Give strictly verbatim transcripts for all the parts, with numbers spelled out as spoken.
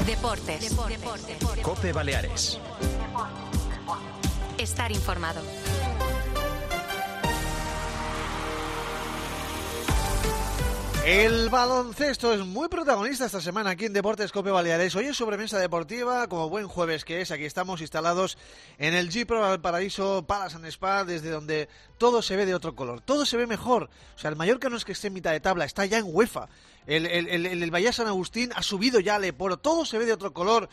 Deportes. Deportes. Deportes. COPE Baleares. Estar informado. El baloncesto es muy protagonista esta semana aquí en Deportes COPE Baleares. Hoy es sobremesa deportiva, como buen jueves que es. Aquí estamos instalados en el G-Pro Valparaíso Palace and Spa, desde donde todo se ve de otro color, todo se ve mejor. O sea, el Mallorca no es que esté en mitad de tabla, está ya en UEFA. El, el, el, el Valle San Agustín ha subido ya al Eporo, todo se ve de otro color.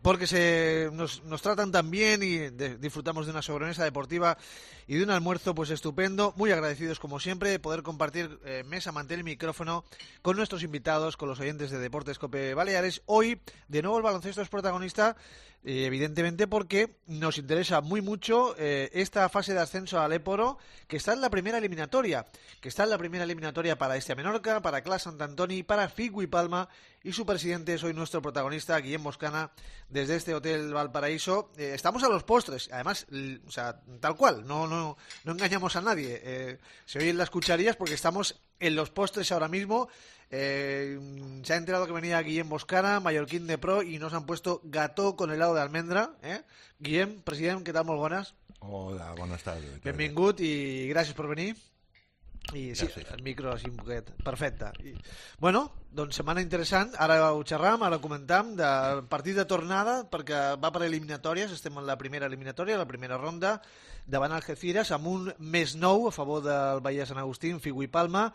Porque se nos, nos tratan tan bien y de, disfrutamos de una sobremesa deportiva y de un almuerzo pues estupendo. Muy agradecidos como siempre de poder compartir eh, mesa, mantel y micrófono con nuestros invitados, con los oyentes de Deportes COPE Baleares. Hoy, de nuevo, el baloncesto es protagonista, eh, evidentemente porque nos interesa muy mucho eh, esta fase de ascenso al Époro, que está en la primera eliminatoria, que está en la primera eliminatoria para este Menorca, para Clas Sant Antoni, para Figui Palma, y su presidente es hoy nuestro protagonista, Guillem Boscana, desde este Hotel Valparaíso. Eh, estamos a los postres, además, l- o sea, tal cual, no no no engañamos a nadie. Eh, se oyen las cucharillas porque estamos en los postres ahora mismo. Eh, se ha enterado que venía Guillem Boscana, mallorquín de pro, y nos han puesto gató con helado de almendra. Eh? Guillem, president, què tal? Molt bones. Hola, buenas tardes. Benvingut i gràcies per venir. I sí, Gràcies. el micro així un poquet, perfecte. I, bueno, doncs setmana interessant, ara ho xerram, ara ho comentam, de partit de tornada, perquè va per eliminatòries, estem en la primera eliminatòria, la primera ronda, davant Algeciras, amb un més nou a favor del Valle Sant Agustín, Figui Palma,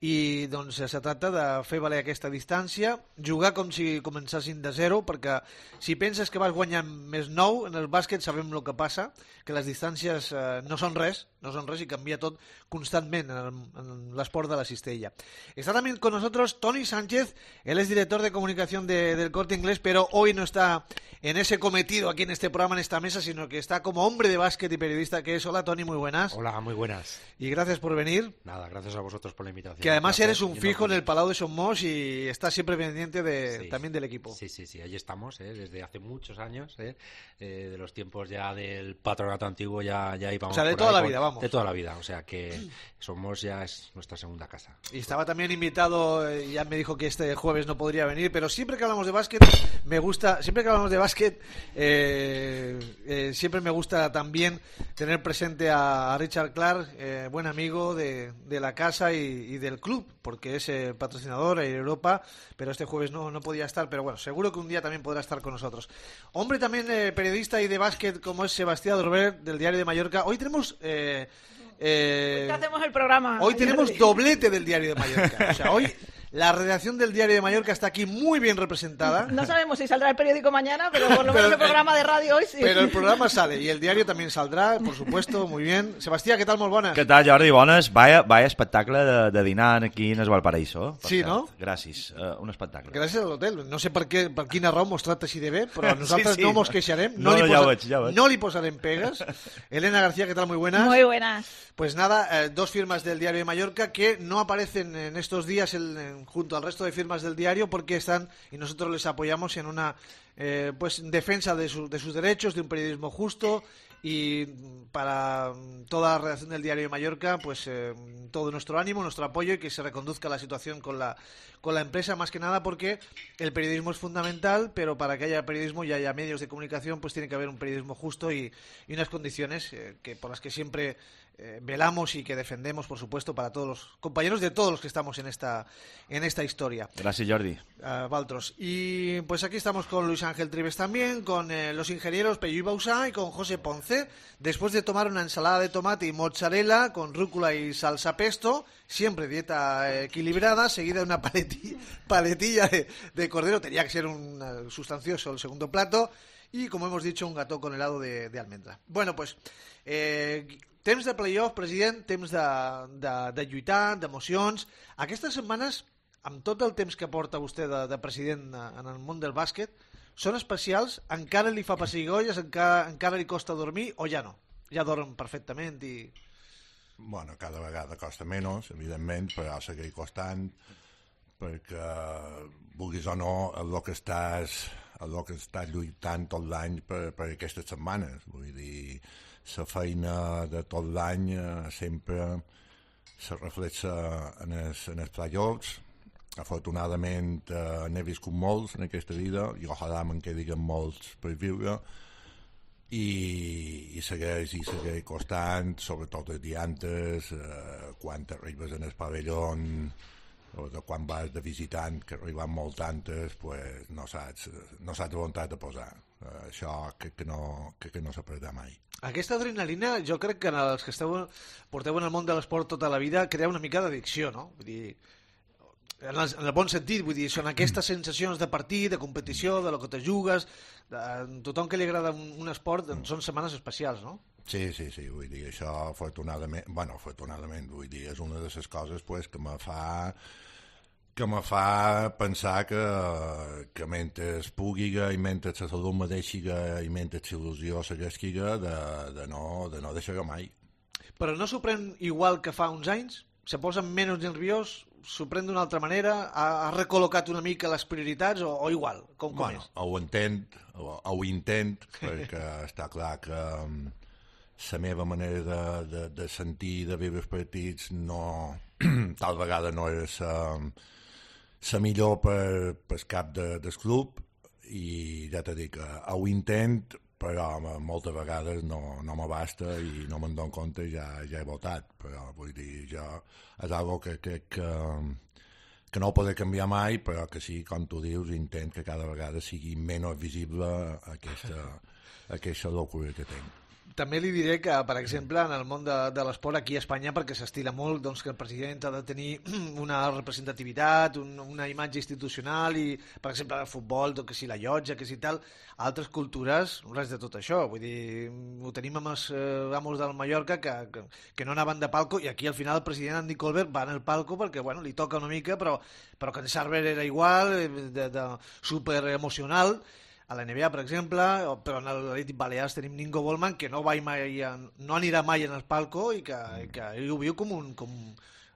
i doncs se tracta de fer valer aquesta distància, jugar com si començassin de zero, perquè si penses que vas guanyant més nou en el bàsquet sabem el que passa, que les distàncies eh, no són res, no son res y cambia todo constantemente en, en la Sport de la Cistella. Está también con nosotros Toni Sánchez, él es director de comunicación de, del Corte Inglés, pero hoy no está en ese cometido aquí en este programa, en esta mesa, sino que está como hombre de básquet y periodista que es. Hola Toni, muy buenas. Hola, muy buenas. Y gracias por venir. Nada, gracias a vosotros por la invitación. Que además un eres un y fijo en nos- el Palau de Somos y estás siempre pendiente de, Sí. también del equipo. Sí, sí, sí, ahí estamos, ¿eh? Desde hace muchos años, ¿eh? Eh, de los tiempos ya del patronato antiguo, ya, ya íbamos O sea, de por toda ahí la con- vida, vamos. De toda la vida, o sea que somos ya, es nuestra segunda casa. Y estaba también invitado, eh, ya me dijo que este jueves no podría venir, pero siempre que hablamos de básquet, me gusta, siempre que hablamos de básquet, eh, eh, siempre me gusta también tener presente a, a Richard Clark, eh, buen amigo de, de la casa y, y del club, porque es eh, patrocinador en Europa, pero este jueves no, no podía estar, pero bueno, seguro que un día también podrá estar con nosotros. Hombre también eh, periodista y de básquet como es Sebastián Dorber, del Diario de Mallorca. Hoy tenemos... Eh, eh, ¿Qué hacemos el programa? Hoy tenemos Jordi? doblete del Diario de Mallorca. O sea, hoy la redacción del Diario de Mallorca está aquí muy bien representada. No sabemos si saldrá el periódico mañana, pero por lo Pero, menos el programa de radio hoy sí. Pero el programa sale y el diario también saldrá, por supuesto, muy bien. Sebastián, ¿qué tal? Molt bones. Què tal, Jordi? Bones. Vaya, vaya espectacle de, de dinar aquí en el Valparaíso. Per Sí, cert. no? Gràcies. Uh, un espectacle. Gràcies a l'hotel. No sé per, què, per quina raó mos tracta així de bé, però nosaltres Sí, sí. no mos queixarem. No, li no, ja posa- ho veig, ja ho veig. no li posarem pegues. Elena García, ¿qué tal? Muy buenas. Muy buenas. Pues nada, eh, dos firmas del Diario de Mallorca que no aparecen en estos días en- en- junto al resto de firmas del diario porque están, y nosotros les apoyamos en una eh, pues defensa de, su- de sus derechos, de un periodismo justo, y para mm, toda la redacción del Diario de Mallorca, pues eh, todo nuestro ánimo, nuestro apoyo y que se reconduzca la situación con la, con la empresa, más que nada porque el periodismo es fundamental, pero para que haya periodismo y haya medios de comunicación, pues tiene que haber un periodismo justo y, y unas condiciones eh, que por las que siempre eh, velamos y que defendemos, por supuesto, para todos los compañeros de todos los que estamos en esta en esta historia. Gràcies, Jordi. Uh, Valtros. Y pues aquí estamos con Luis Ángel Trives también, con eh, los ingenieros Pello Bausá y con José Ponce, después de tomar una ensalada de tomate y mozzarella con rúcula y salsa pesto, siempre dieta eh, equilibrada, seguida de una paleti- paletilla de, de cordero, tenía que ser un eh, sustancioso el segundo plato, y como hemos dicho, un gató con helado de, de almendra. Bueno, pues eh, temps de playoff, president, temps de, de, de lluitar, d'emocions. Aquestes setmanes, amb tot el temps que porta vostè de, de president en el món del bàsquet, són especials? Encara li fa pessigolles? Encara, encara li costa dormir? O ja no? Ja dorm perfectament i... Bueno, cada vegada costa menys, evidentment, però seguir costant perquè, vulguis o no, el que estàs, el que estàs lluitant tot l'any per, per aquestes setmanes. Vull dir, la feina de tot l'any eh, sempre se reflexa en els, en els playoffs afortunadament eh, n'he viscut molts en aquesta vida i ojalà me'n quedin molts per viure i, i segueix i segueix costant, sobretot els diantes, eh, quan arribes en el pavelló o de quan vas de visitant, que arriben molt tantes, pues no saps, no saps on t'has de posar. Uh, això crec que no, crec que no s'aprendrà mai. Aquesta adrenalina, jo crec que en els que esteu, porteu en el món de l'esport tota la vida, crea una mica d'addicció, no? Vull dir, en el, en el bon sentit, vull dir, són aquestes sensacions de partit, de competició, de lo que te jugues, de, tothom que li agrada un, un esport, doncs són setmanes especials, no? Sí, sí, sí, vull dir, això afortunadament, bueno, afortunadament, vull dir, és una de les coses pues, que me fa que me fa pensar que, que mentre pugui i mentre la salut me deixi i mentre l'il·lusió segueixi de, de, no, de no deixar-ho mai. Però no s'ho pren igual que fa uns anys? Se posa menys nerviós? S'ho pren d'una altra manera? Ha, ha recol·locat una mica les prioritats o, o igual? Com, com bueno, és? Ho entenc, ho, ho intent, perquè està clar que la meva manera de, de, de sentir i de viure els partits no, tal vegada no és la la millor per, per cap de, del club i ja t'he dit que ho intent però moltes vegades no, no m'abasta i no me'n dono compte i ja, ja he votat, però vull dir, jo és algo que crec que, que no ho podré canviar mai, però que sí, com tu dius, intent que cada vegada sigui menys visible aquesta, aquesta locura que tinc. També li diré que, per exemple, en el món de, de l'esport aquí a Espanya, perquè s'estila molt doncs, que el president ha de tenir una representativitat, un, una imatge institucional i, per exemple, el futbol, que si la llotja, que si tal, altres cultures, res de tot això. Vull dir, ho tenim amb els eh, amos del Mallorca que, que, que no anaven de palco i aquí al final el president Andy Colbert va en el palco perquè, bueno, li toca una mica, però, però que en Sarver era igual, de, de super emocional. A la N B A, per exemple, però en l'Atlètic Balears tenim Ningo Bollman, que no, va mai, no anirà mai en el palco i que, que ell ho viu com un... Com,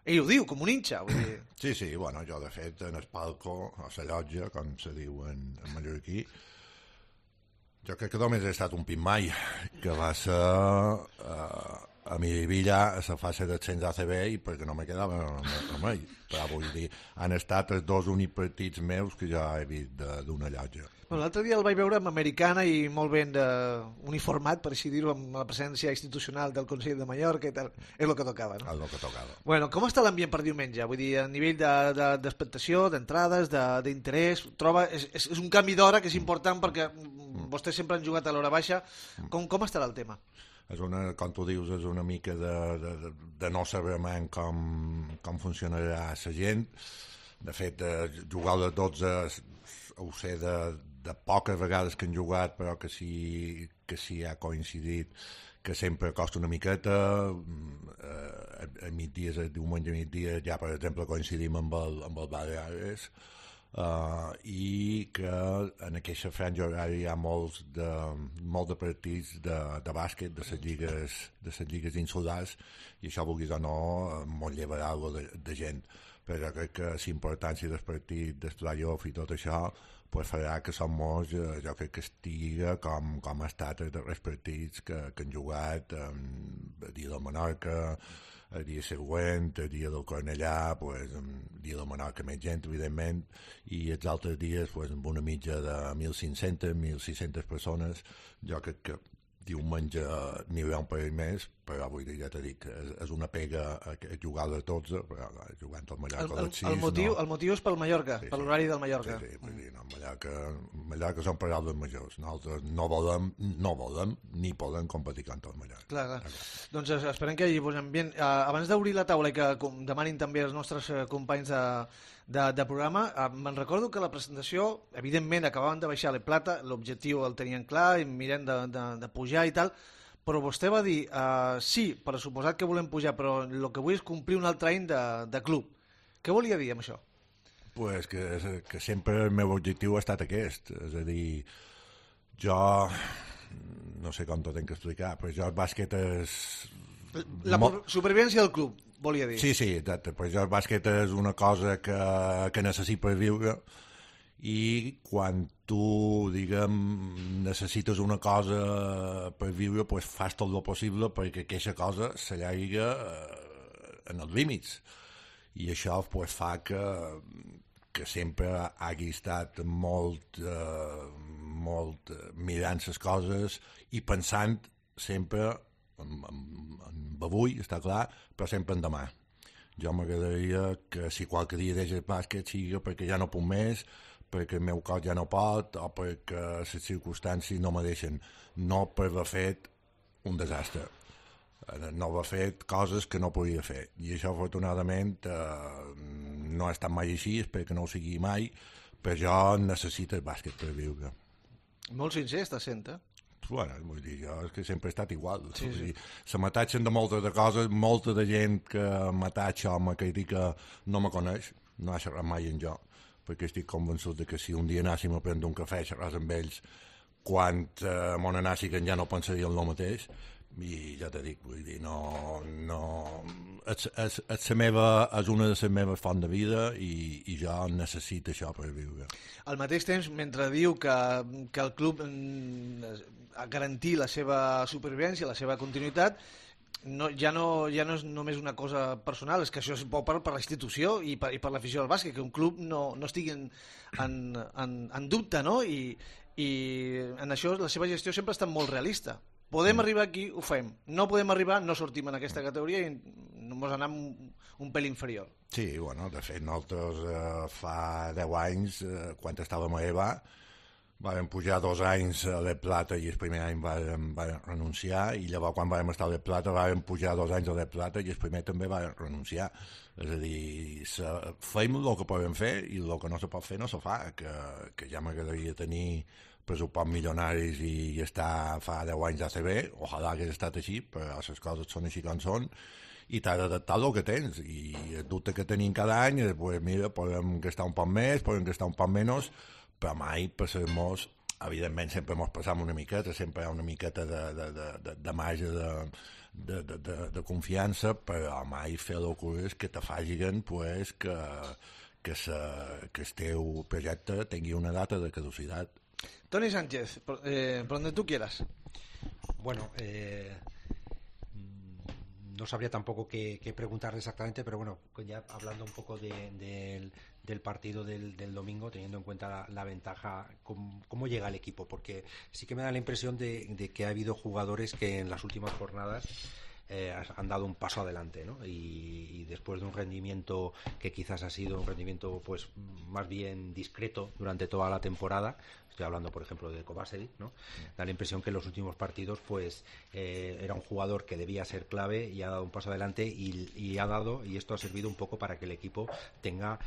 ell ho diu, com un hinxa. Vull dir. Sí, sí, bueno, jo de fet en el palco, a la llotja, com se diu en, en mallorquí, jo crec que només he estat un pit mai, que va ser uh, a Miribilla a la fase d'ascens A C B i perquè no me quedava remei. Però vull dir, han estat els dos únics partits meus que jo he vist d'una llotja. Bueno, l'altre dia el vaig veure amb americana i molt ben de, uniformat, per així dir-ho, amb la presència institucional del Consell de Mallorca i tal. És el que tocava, no? És el que tocava. Bueno, com està l'ambient per diumenge? Vull dir, a nivell d'expectació, de, de, d'entrades, d'interès, troba... És, és un canvi d'hora que és important perquè mm. vostès sempre han jugat a l'hora baixa. Com, com estarà el tema? És una, com tu dius, és una mica de, de, de no saber mai com, com funcionarà la gent. De fet, jugar a les dotze ho sé de, de poques vegades que han jugat, però que sí, que sí ha coincidit que sempre costa una miqueta. Eh, a migdies, el diumenge a migdia, ja per exemple coincidim amb el, amb el Baleares, uh, i que en aquesta franja horària hi ha molts de, molt de partits de, de bàsquet, de les lligues, de les lligues insulars, i això, vulguis o no, molt llevarà de, de gent. Però crec que la importància del partit, del play-off i tot això, pues farà que som molts, eh, jo crec que estiga com, com ha estat els darrers partits que, que han jugat eh, el dia del Menorca, el dia següent, el dia del Cornellà, pues, el dia del Menorca més gent, evidentment, i els altres dies pues, amb una mitja de mil cinc-centes, mil sis-centes persones. Jo crec que diumenge n'hi haurà un parell més, però vull dir, ja t'he dit, és, és una pega a, a jugar a les dotze, però jugant al Mallorca a les sis... El motiu, no. el motiu és pel Mallorca, sí, per sí. l'horari del Mallorca. Sí, sí, vull dir, no, Mallorca, Mallorca són paraules majors. Nosaltres no volem, no volem, ni podem competir contra el Mallorca. Clar, clar. Doncs esperem que hi posem bé. Uh, abans d'obrir la taula i que demanin també els nostres uh, companys de, de, de programa, uh, me'n recordo que la presentació, evidentment, acabaven de baixar la plata, l'objectiu el tenien clar, i mirem de, de, de pujar i tal, però vostè va dir, uh, sí, per suposat que volem pujar, però el que vull és complir un altre any de, de club. Què volia dir amb això? Pues que, que sempre el meu objectiu ha estat aquest, és a dir, jo no sé com t'ho tinc que explicar, però jo el bàsquet és... La Mo... supervivència del club, volia dir. Sí, sí, exacte, però jo el bàsquet és una cosa que, que necessit per viure, i quan tu, diguem, necessites una cosa per viure, pues fas tot el possible perquè aquesta cosa s'allarga eh, en els límits. I això pues, fa que, que sempre hagi estat molt, eh, molt mirant les coses i pensant sempre en, en, en avui, està clar, però sempre en demà. Jo m'agradaria que si qualque dia deixa el bàsquet sigui perquè ja no puc més, perquè el meu cos ja no pot o perquè les circumstàncies no me deixen, no per haver fet un desastre, no haver fet coses que no podia fer. I això, afortunadament, eh, no ha estat mai així, espero que no ho sigui mai, però jo necessito el bàsquet per viure. Molt sincer estàs sent, eh? Bueno, vull dir, jo és que sempre he estat igual. Sí, sí. Dir, se m'atatxen de moltes de coses, molta de gent que m'atatxa o me critica no me coneix, no ha xerrat mai en jo, perquè estic convençut de que si un dia anàssim a prendre un cafè, xerràs amb ells, quan eh, mon anàssiguen ja no pensarien el mateix, i ja te dic, vull dir, no, no, és, és, és, meva, és una de les meves fonts de vida i, i jo necessito això per viure. Al mateix temps, mentre diu que, que el club ha garantit la seva supervivència, la seva continuïtat, no, ja, no, ja no és només una cosa personal, és que això és bo per, per la institució i per, i per l'afició del bàsquet, que un club no, no estigui en, en, en, en dubte, no? I, i en això la seva gestió sempre ha estat molt realista. Podem arribar aquí, ho fem. No podem arribar, no sortim en aquesta categoria i ens anem un, un pèl inferior. Sí, bueno, de fet, nosaltres eh, fa deu anys, eh, quan estàvem a EVA, vam pujar dos anys a l'E Plata i el primer any vam, vam renunciar, i llavors quan vam estar a l'E Plata vam pujar dos anys a l'E Plata i el primer també vam renunciar. És a dir, se, fem el que podem fer i el que no se pot fer no se fa, que, que ja m'agradaria tenir pressupost milionaris i, i estar fa deu anys a A C B, ojalà hagués estat així, però les coses són així com són, i t'has d'adaptar el que tens, i el dubte que tenim cada any és, pues, mira, podem gastar un poc més, podem gastar un poc menys, però mai passem-nos, evidentment sempre ens passam una miqueta, sempre hi ha una miqueta de, de, de, de, de marge de, de, de, de, de confiança, però mai fer locures que te facin pues, que, que, se, que el teu projecte tingui una data de caducitat. Toni Sánchez, por, eh, por donde tú quieras. Bueno, eh, no sabría tampoco qué, qué preguntarle exactamente, pero bueno, ya hablando un poco de, de, del partido del, del domingo, teniendo en cuenta la, la ventaja, ¿cómo, ¿cómo llega el equipo? Porque sí que me da la impresión de, de que ha habido jugadores que en las últimas jornadas Eh, han dado un paso adelante, ¿no? Y, y después de un rendimiento que quizás ha sido un rendimiento pues más bien discreto durante toda la temporada, estoy hablando por ejemplo de Kovacevic, ¿no? Da la impresión que en los últimos partidos pues eh, era un jugador que debía ser clave y ha dado un paso adelante y, y ha dado, y esto ha servido un poco para que el equipo tenga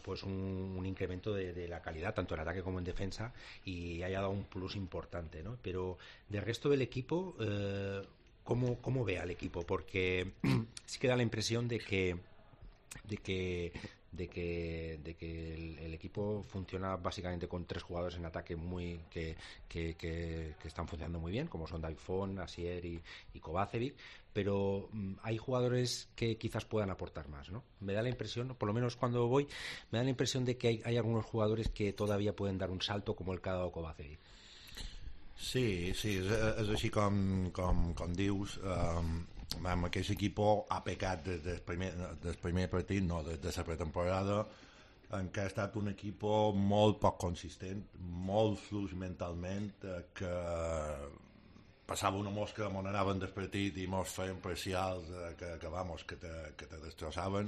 pues un, un incremento de, de la calidad tanto en ataque como en defensa y haya dado un plus importante, ¿no? Pero del resto del equipo eh, ¿Cómo, ¿Cómo ve al equipo? Porque sí que da la impresión de que de que de que, de que el, el equipo funciona básicamente con tres jugadores en ataque muy que, que, que, que están funcionando muy bien, como son Daifón, Asier y, y Kovacevic, pero um, hay jugadores que quizás puedan aportar más, ¿no? Me da la impresión, por lo menos cuando voy, me da la impresión de que hay, hay algunos jugadores que todavía pueden dar un salto, como el que ha dado Kovacevic. Sí, sí, és, és així com, com, com dius. Um, amb aquest equip ha pecat des del primer, des primer partit, no, des de la pretemporada, en què ha estat un equip molt poc consistent, molt fluix mentalment, eh, que passava una mosca on anaven del partit i mos feien parcials eh, que, que, vamos, que, te, que te destrossaven.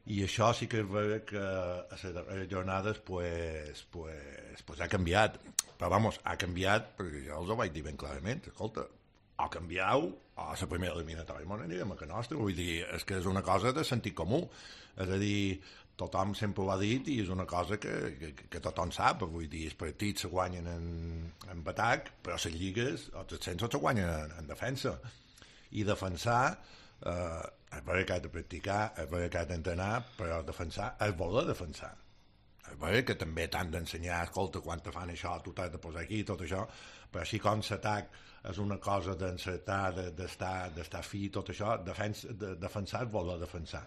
I això sí que és vera que a les darreres jornades pues, pues, pues ha canviat, però vamos, ha canviat perquè jo els ho vaig dir ben clarament, escolta, o canvieu o a la primera eliminatòria m'ho anirem a que nostra, vull dir, és que és una cosa de sentit comú, és a dir, tothom sempre ho ha dit i és una cosa que, que, que tothom sap, vull dir, els partits se guanyen en, en atac, però les lligues, els ascensos se guanyen en, en defensa, i defensar eh, és vera que ha de practicar, és vera que ha d'entrenar, però defensar és voler defensar. És vera que també t'han d'ensenyar, escolta, quan te fan això, tu t'has de posar aquí, tot això, però així com l'atac és una cosa d'encertar, d'estar, d'estar fi, tot això, defens, de, defensar és voler defensar.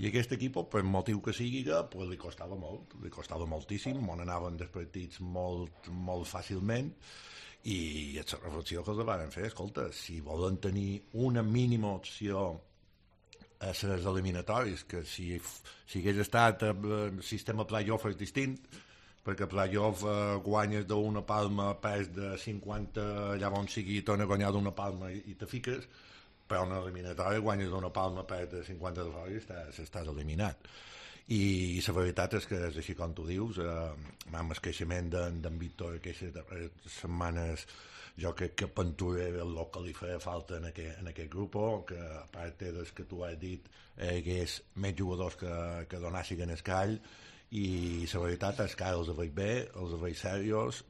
I aquest equip, per motiu que sigui, pues, li costava molt, li costava moltíssim, on anaven dels partits molt, molt fàcilment, i és la reflexió que els van fer, escolta, si volen tenir una mínima opció a les eliminatòries, que si, si hagués estat el sistema playoff és distint, perquè playoff eh, guanyes d'una palma pes de cinquanta, llavors sigui torna a guanyar d'una palma i, i te fiques, però una eliminatòria guanyes d'una palma pes de cinquanta de fora i estàs, estàs eliminat. I la veritat és que és així com tu dius, eh, amb el creixement d'en, d'en Víctor aquestes setmanes jo crec que Pantura era el que li feia falta en aquest, en aquest grup, que a part des que tu has dit hi hagués més jugadors que, que donassin el call, i la veritat és que els veig bé, els veig serios.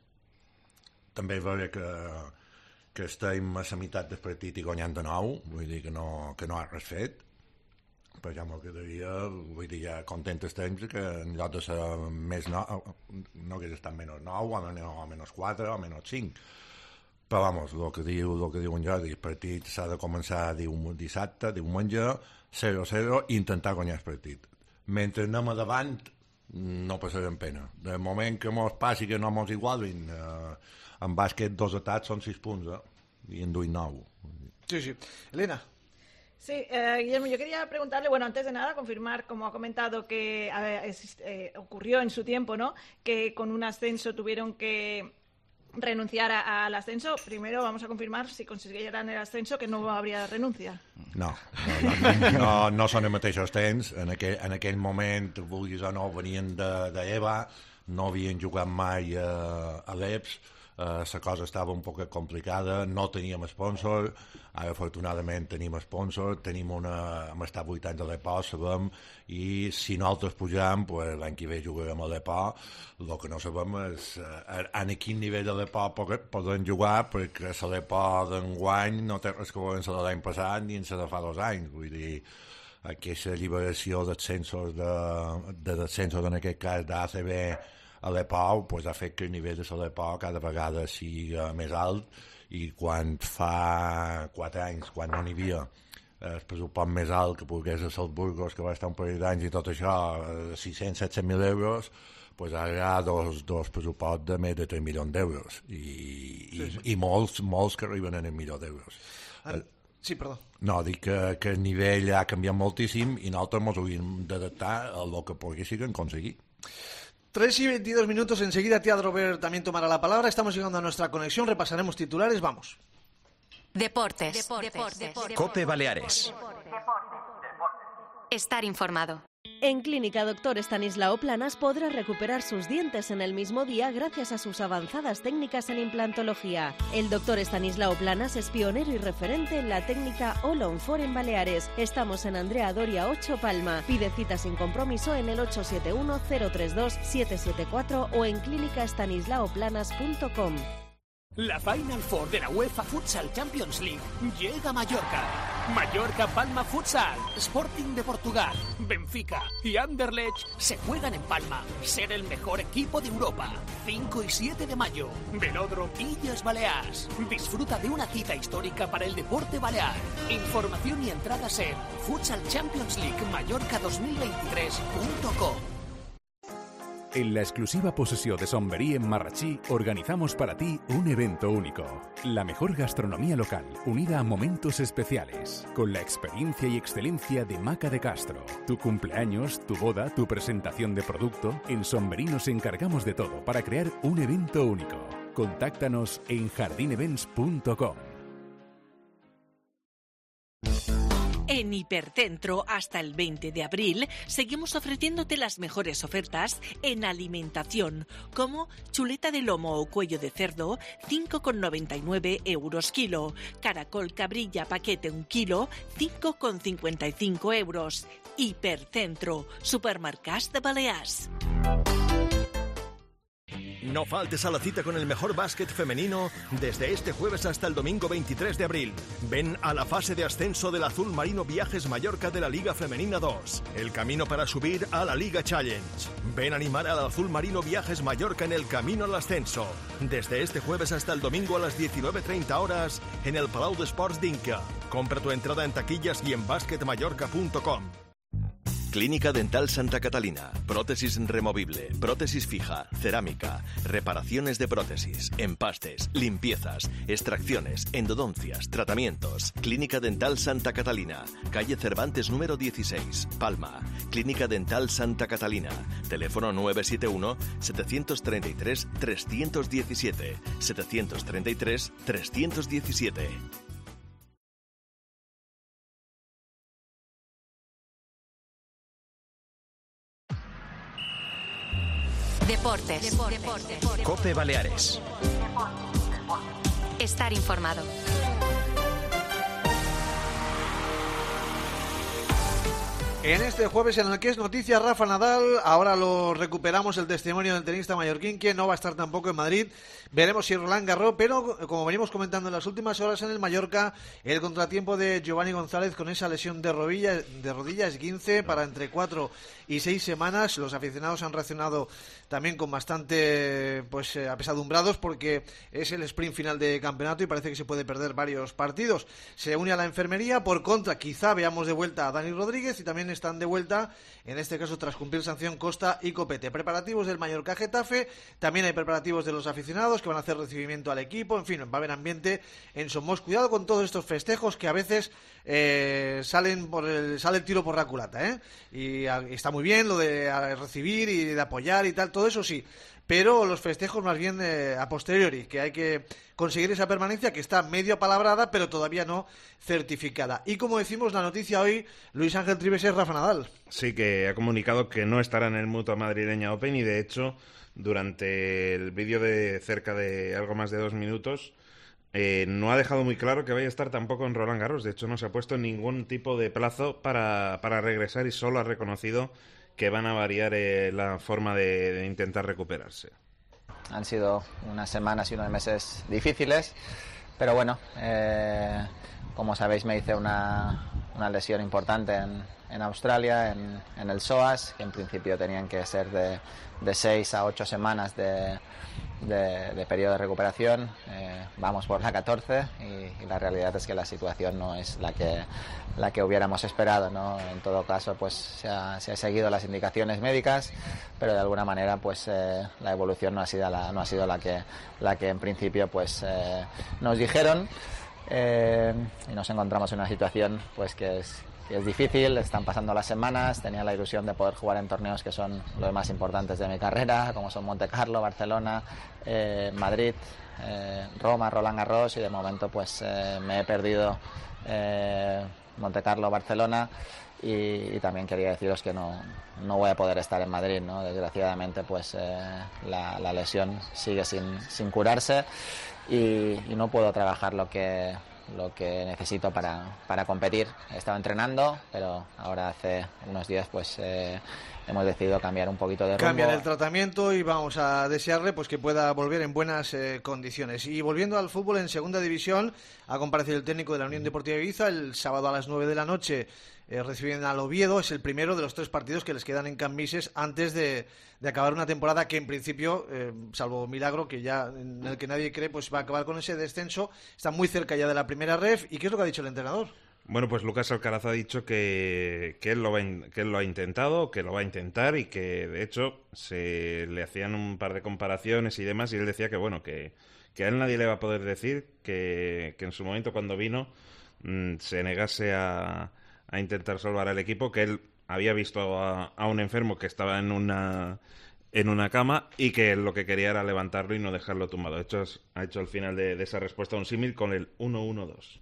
També veure que, que estem a la meitat del partit i guanyant de nou, vull dir que no, que no ha res fet. Per exemple, que devia, vull dir, ja content estem que en lloc de ser més nou, no hagués estat menys nou, o menys quatre, o menys cinc. Però, vamos, el que diu, el que diu en Jordi, el partit s'ha de començar dium, dissabte, diumenge, zero zero, i intentar guanyar el partit. Mentre anem a davant, no passarem pena. De moment que mos passi que no mos igualin, eh, en bàsquet dos atats són sis punts, eh? I en duim nou. Sí, sí. Elena. Sí, eh, Guillermo, yo quería preguntarle, bueno, antes de nada, confirmar, como ha comentado, que eh, eh, ocurrió en su tiempo, ¿no?, que con un ascenso tuvieron que renunciar a, al ascenso. Primero vamos a confirmar, si consiguieran el ascenso, que no habría renuncia. No, no, no, no, no són els mateixos temps. En aquell, en aquell moment, vulguis o no, venien d'Eva, no havien jugat mai a, a l'E P S, la uh, cosa estava un poc complicada, no teníem sponsor, ara afortunadament tenim sponsor, tenim una, hem estat vuit anys a l'E P O, sabem, i si nosaltres pujam, pues, l'any que ve jugarem a l'E P O. El que no sabem és uh, en quin nivell de l'E P O podem jugar, perquè l'E P O d'enguany no té res que veure amb la l'any passat ni amb la de fa dos anys, vull dir, aquesta lliberació d'ascensos de, de descensos, en aquest cas d'A C B a l'E P O, pues, ha fet que el nivell de l'E P O cada vegada sigui més alt, i quan fa quatre anys, quan no n'hi havia el pressupost més alt que pogués a Salzburgos, que va estar un parell d'anys i tot això, sis-cents a set-cents mil euros, pues ara hi ha dos, dos pressuposts de més de tres milions d'euros, i, i, sí, sí. i molts, molts que arriben en el milió d'euros. Ah, sí, perdó. No, dic que, que el nivell ha canviat moltíssim i nosaltres ens hauríem d'adaptar a el que poguéssim aconseguir. tres y veintidós minutos, enseguida tía Robert también tomará la palabra. Estamos llegando a nuestra conexión, repasaremos titulares, vamos. Deportes. Deportes. Deportes. Cope Baleares. Estar informado. En Clínica Doctor Estanislao Planas podrá recuperar sus dientes en el mismo día gracias a sus avanzadas técnicas en implantología. El doctor Estanislao Planas es pionero y referente en la técnica All on Four en Baleares. Estamos en Andrea Doria ocho Palma. Pide cita sin compromiso en el ocho siete uno, cero tres dos, siete siete cuatro o en clínica estanislao planas punto com. La Final Four de la UEFA Futsal Champions League llega a Mallorca. Mallorca Palma Futsal, Sporting de Portugal, Benfica y Anderlecht se juegan en Palma. Ser el mejor equipo de Europa. cinco y siete de mayo, Velódromo Illes Balears. Disfruta de una cita histórica para el deporte balear. Información y entradas en futsal champions league mallorca dos mil veintitrés punto com. En la exclusiva posesión de Somberí en Marrachí organizamos para ti un evento único. La mejor gastronomía local, unida a momentos especiales, con la experiencia y excelencia de Maca de Castro. Tu cumpleaños, tu boda, tu presentación de producto, en Somberí nos encargamos de todo para crear un evento único. Contáctanos en jardín events punto com. En Hipercentro, hasta el veinte de abril, seguimos ofreciéndote las mejores ofertas en alimentación, como chuleta de lomo o cuello de cerdo, cinco con noventa y nueve euros kilo. Caracol cabrilla paquete un kilo, cinco con cincuenta y cinco euros. Hipercentro, Supermercats de Balears. No faltes a la cita con el mejor básquet femenino desde este jueves hasta el domingo veintitrés de abril. Ven a la fase de ascenso del Azul Marino Viajes Mallorca de la Liga Femenina dos. El camino para subir a la Liga Challenge. Ven a animar al Azul Marino Viajes Mallorca en el camino al ascenso. Desde este jueves hasta el domingo a las diecinueve treinta horas en el Palau d'Esports d'Inca. Compra tu entrada en taquillas y en basquet mallorca punto com. Clínica Dental Santa Catalina. Prótesis removible, prótesis fija, cerámica, reparaciones de prótesis, empastes, limpiezas, extracciones, endodoncias, tratamientos. Clínica Dental Santa Catalina. Calle Cervantes número dieciséis, Palma. Clínica Dental Santa Catalina. Teléfono nueve siete uno, siete tres tres, tres uno siete. siete tres tres, tres uno siete. Deportes. Deportes. Deportes. Cope Baleares. Estar informado. En este jueves en el que es noticia Rafa Nadal, ahora lo recuperamos el testimonio del tenista mallorquín, que no va a estar tampoco en Madrid. Veremos si Roland Garros, pero como venimos comentando en las últimas horas en el Mallorca, el contratiempo de Giovanni González con esa lesión de rodilla, de rodilla esguince para entre cuatro y seis semanas. Los aficionados han reaccionado también con bastante pues eh, apesadumbrados, porque es el sprint final de campeonato y parece que se puede perder varios partidos. Se une a la enfermería. Por contra, quizá veamos de vuelta a Dani Rodríguez, y también están de vuelta, en este caso tras cumplir sanción, Costa y Copete. Preparativos del Mallorca Getafe, también hay preparativos de los aficionados que van a hacer recibimiento al equipo. En fin, va a haber ambiente en Somos. Cuidado con todos estos festejos que a veces eh, salen por el, sale el tiro por la culata, ¿eh? Y, a, y está muy bien lo de a, recibir y de apoyar y tal, todo eso sí, pero los festejos más bien eh, a posteriori, que hay que conseguir esa permanencia que está medio apalabrada pero todavía no certificada. Y como decimos, la noticia hoy, Luis Ángel Trives, es Rafa Nadal. Sí, que ha comunicado que no estará en el Mutua Madrileña Open, y de hecho durante el vídeo de cerca de algo más de dos minutos eh, no ha dejado muy claro que vaya a estar tampoco en Roland Garros. De hecho no se ha puesto ningún tipo de plazo para, para regresar, y solo ha reconocido que van a variar eh, la forma de, de intentar recuperarse. Han sido unas semanas y unos meses difíciles, pero bueno, eh, como sabéis me hice una, una lesión importante en, en Australia, en, en el psoas, que en principio tenían que ser de, de seis a ocho semanas de, de, de periodo de recuperación. Eh, vamos por la catorce y, y la realidad es que la situación no es la que la que hubiéramos esperado, ¿no? En todo caso, pues se ha, se ha seguido las indicaciones médicas, pero de alguna manera, pues eh, la evolución no ha sido la no ha sido la que la que en principio, pues eh, nos dijeron, eh, y nos encontramos en una situación, pues que es que es difícil. Están pasando las semanas. Tenía la ilusión de poder jugar en torneos que son los más importantes de mi carrera, como son Monte Carlo, Barcelona, eh, Madrid, eh, Roma, Roland Garros, y de momento, pues eh, me he perdido eh, Monte Carlo, Barcelona, y, y también quería deciros que no, no voy a poder estar en Madrid, ¿no? Desgraciadamente, pues eh, la, la lesión sigue sin, sin curarse, y, y no puedo trabajar lo que lo que necesito para, para competir. He estado entrenando, pero ahora hace unos días pues eh, hemos decidido cambiar un poquito de rumbo. Cambiar el tratamiento, y vamos a desearle pues que pueda volver en buenas eh, condiciones. Y volviendo al fútbol, en segunda división ha comparecido el técnico de la Unión Deportiva Ibiza el sábado a las nueve de la noche. Eh, reciben al Oviedo. Es el primero de los tres partidos que les quedan en Cambises antes de, de acabar una temporada que en principio, eh, salvo milagro que ya en el que nadie cree, pues va a acabar con ese descenso. Está muy cerca ya de la primera ref. ¿Y qué es lo que ha dicho el entrenador? Bueno, pues Lucas Alcaraz ha dicho que, que, él lo va, que él lo ha intentado, que lo va a intentar, y que de hecho se le hacían un par de comparaciones y demás, y él decía que bueno, que, que a él nadie le va a poder decir que, que en su momento, cuando vino, mmm, se negase a a intentar salvar al equipo, que él había visto a, a un enfermo que estaba en una en una cama, y que él lo que quería era levantarlo y no dejarlo tumbado. De hecho, ha hecho al final de, de esa respuesta un símil con el uno uno dos.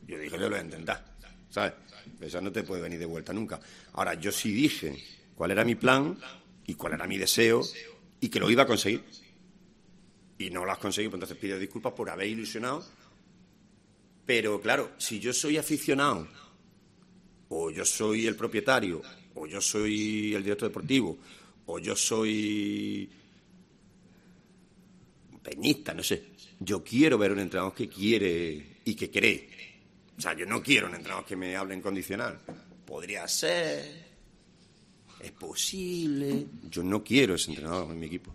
Yo dije, yo lo voy a intentar, ¿sabes? Eso no te puede venir de vuelta nunca. Ahora, yo sí dije cuál era mi plan y cuál era mi deseo, y que lo iba a conseguir. Y no lo has conseguido, pues entonces pido disculpas por haber ilusionado. Pero claro, si yo soy aficionado, o yo soy el propietario, o yo soy el director deportivo, o yo soy peñista, no sé. Yo quiero ver un entrenador que quiere y que cree. O sea, yo no quiero un entrenador que me hable en condicional. Podría ser, es posible. Yo no quiero ese entrenador en mi equipo.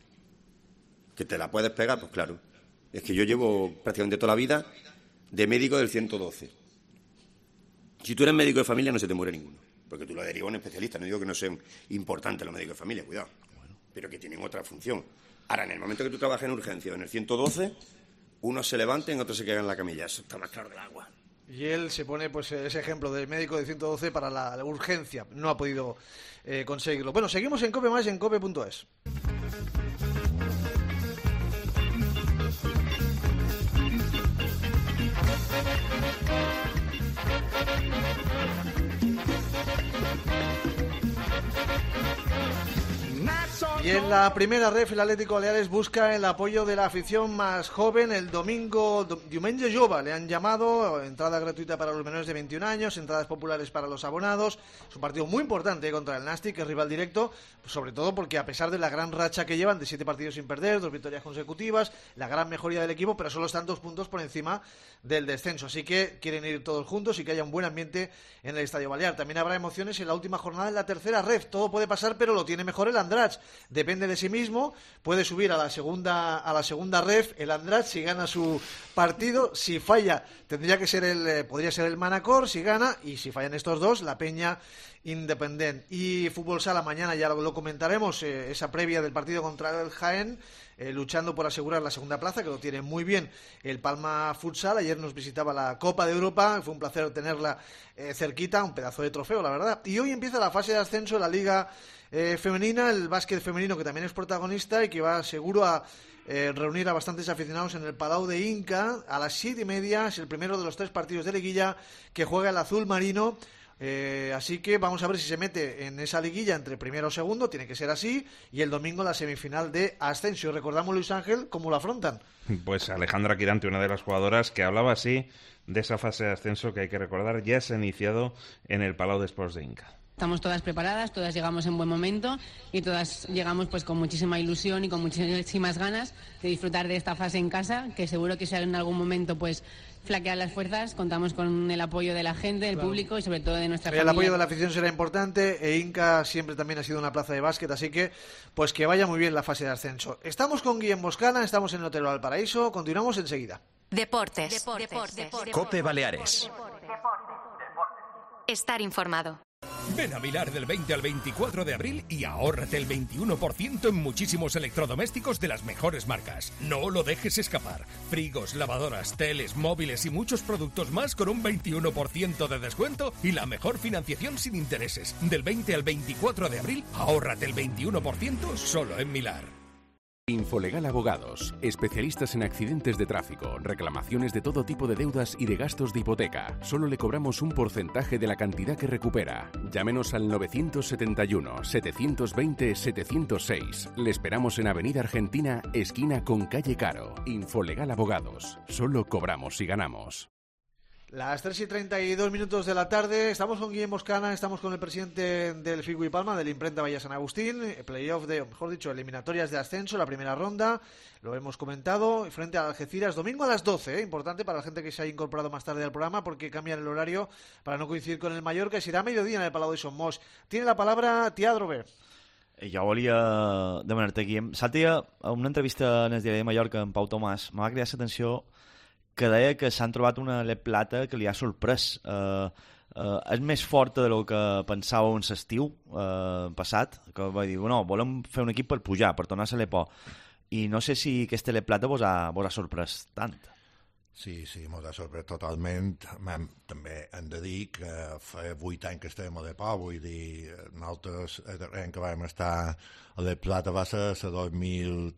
¿Que te la puedes pegar? Pues claro. Es que yo llevo prácticamente toda la vida de médico del ciento doce. Si tú eres médico de familia, no se te muere ninguno. porque tú lo derivas a un especialista. No digo que no sean importantes los médicos de familia, cuidado, pero que tienen otra función. Ahora, en el momento que tú trabajas en urgencia en el ciento doce, unos se levanten, otros se quedan en la camilla. Eso está más claro del agua. Y él se pone pues ese ejemplo del médico de ciento doce para la, la urgencia. No ha podido eh, conseguirlo. Bueno, seguimos en Cope Más en cope punto es. Y en la primera ref, el Atlético Baleares busca el apoyo de la afición más joven el domingo, Diumenge Jove, le han llamado, entrada gratuita para los menores de veintiún años, entradas populares para los abonados. Es un partido muy importante contra el Nàstic, que es rival directo, sobre todo porque a pesar de la gran racha que llevan de siete partidos sin perder, dos victorias consecutivas, la gran mejoría del equipo, pero solo están dos puntos por encima del descenso, así que quieren ir todos juntos y que haya un buen ambiente en el Estadio Balear. También habrá emociones en la última jornada en la tercera ref, todo puede pasar, pero lo tiene mejor el Andratx. Depende de sí mismo, puede subir a la segunda a la segunda ref el Andratx si gana su partido. Si falla, tendría que ser el eh, podría ser el Manacor si gana, y si fallan estos dos, la Peña Independent. Y Fútbol Sala mañana ya lo, lo comentaremos, eh, esa previa del partido contra el Jaén, eh, luchando por asegurar la segunda plaza, que lo tiene muy bien el Palma Futsal. Ayer nos visitaba la Copa de Europa, fue un placer tenerla eh, cerquita, un pedazo de trofeo, la verdad. Y hoy empieza la fase de ascenso de la Liga Eh, femenina, el básquet femenino, que también es protagonista y que va seguro a eh, reunir a bastantes aficionados en el Palau de Inca. A las siete y media es el primero de los tres partidos de liguilla que juega el azul marino. Eh, así que vamos a ver si se mete en esa liguilla entre primero o segundo, tiene que ser así, y el domingo la semifinal de ascenso. Recordamos, Luis Ángel, cómo lo afrontan. Pues Alejandra Quirante, una de las jugadoras que hablaba así de esa fase de ascenso que hay que recordar ya se ha iniciado en el Palau de Esports de Inca. Estamos todas preparadas, todas llegamos en buen momento y todas llegamos pues con muchísima ilusión y con muchísimas ganas de disfrutar de esta fase en casa, que seguro que si en algún momento pues flaquean las fuerzas, contamos con el apoyo de la gente, del claro. público y sobre todo de nuestra el familia. El apoyo de la afición será importante, e Inca siempre también ha sido una plaza de básquet, así que pues que vaya muy bien la fase de ascenso. Estamos con Guillem Boscana, estamos en el Hotel Valparaíso, continuamos enseguida. Deportes. Deportes. Deportes. Deportes. Cope Baleares. Estar informado. Ven a Milar del veinte al veinticuatro de abril y ahórrate el veintiuno por ciento en muchísimos electrodomésticos de las mejores marcas. No lo dejes escapar. Frigos, lavadoras, teles, móviles y muchos productos más con un veintiuno por ciento de descuento y la mejor financiación sin intereses. Del veinte al veinticuatro de abril, ahórrate el veintiuno por ciento solo en Milar. Infolegal Abogados, especialistas en accidentes de tráfico, reclamaciones de todo tipo de deudas y de gastos de hipoteca. Solo le cobramos un porcentaje de la cantidad que recupera. Llámenos al novecientos setenta y uno, setecientos veinte, setecientos seis. Le esperamos en Avenida Argentina, esquina con Calle Caro. Infolegal Abogados. Solo cobramos si ganamos. Las tres y treinta y dos minutos de la tarde, estamos con Guillem Boscana, estamos con el presidente del Figu y Palma, del Imprenta Valle San Agustín, playoff de, o mejor dicho, eliminatorias de ascenso, la primera ronda, lo hemos comentado, frente a Algeciras, domingo a las doce, ¿eh? Importante para la gente que se ha incorporado más tarde al programa, porque cambian el horario para no coincidir con el Mallorca, y será a mediodía en el Palau de Somos. Tiene la palabra Tiadrobe. Jo volia demanar-te, Guillem, Sàtia, a una entrevista en el diari de Mallorca amb Pau Tomàs, m'ha cridat l'atenció que deia que s'han trobat una lep plata que li ha sorprès. Eh, eh, és més forta del que pensàveu en l'estiu eh, passat, que va dir, no, volem fer un equip per pujar, per tornar a ser l'Epo. I no sé si aquesta lep plata vos ha, vos ha sorprès tant. Sí, sí, mos ha sorprès totalment. Hem, també hem de dir que fa vuit anys que estem a l'Epo, vull dir, nosaltres, el darrer que vam estar a l'Ep Plata va ser a dos mil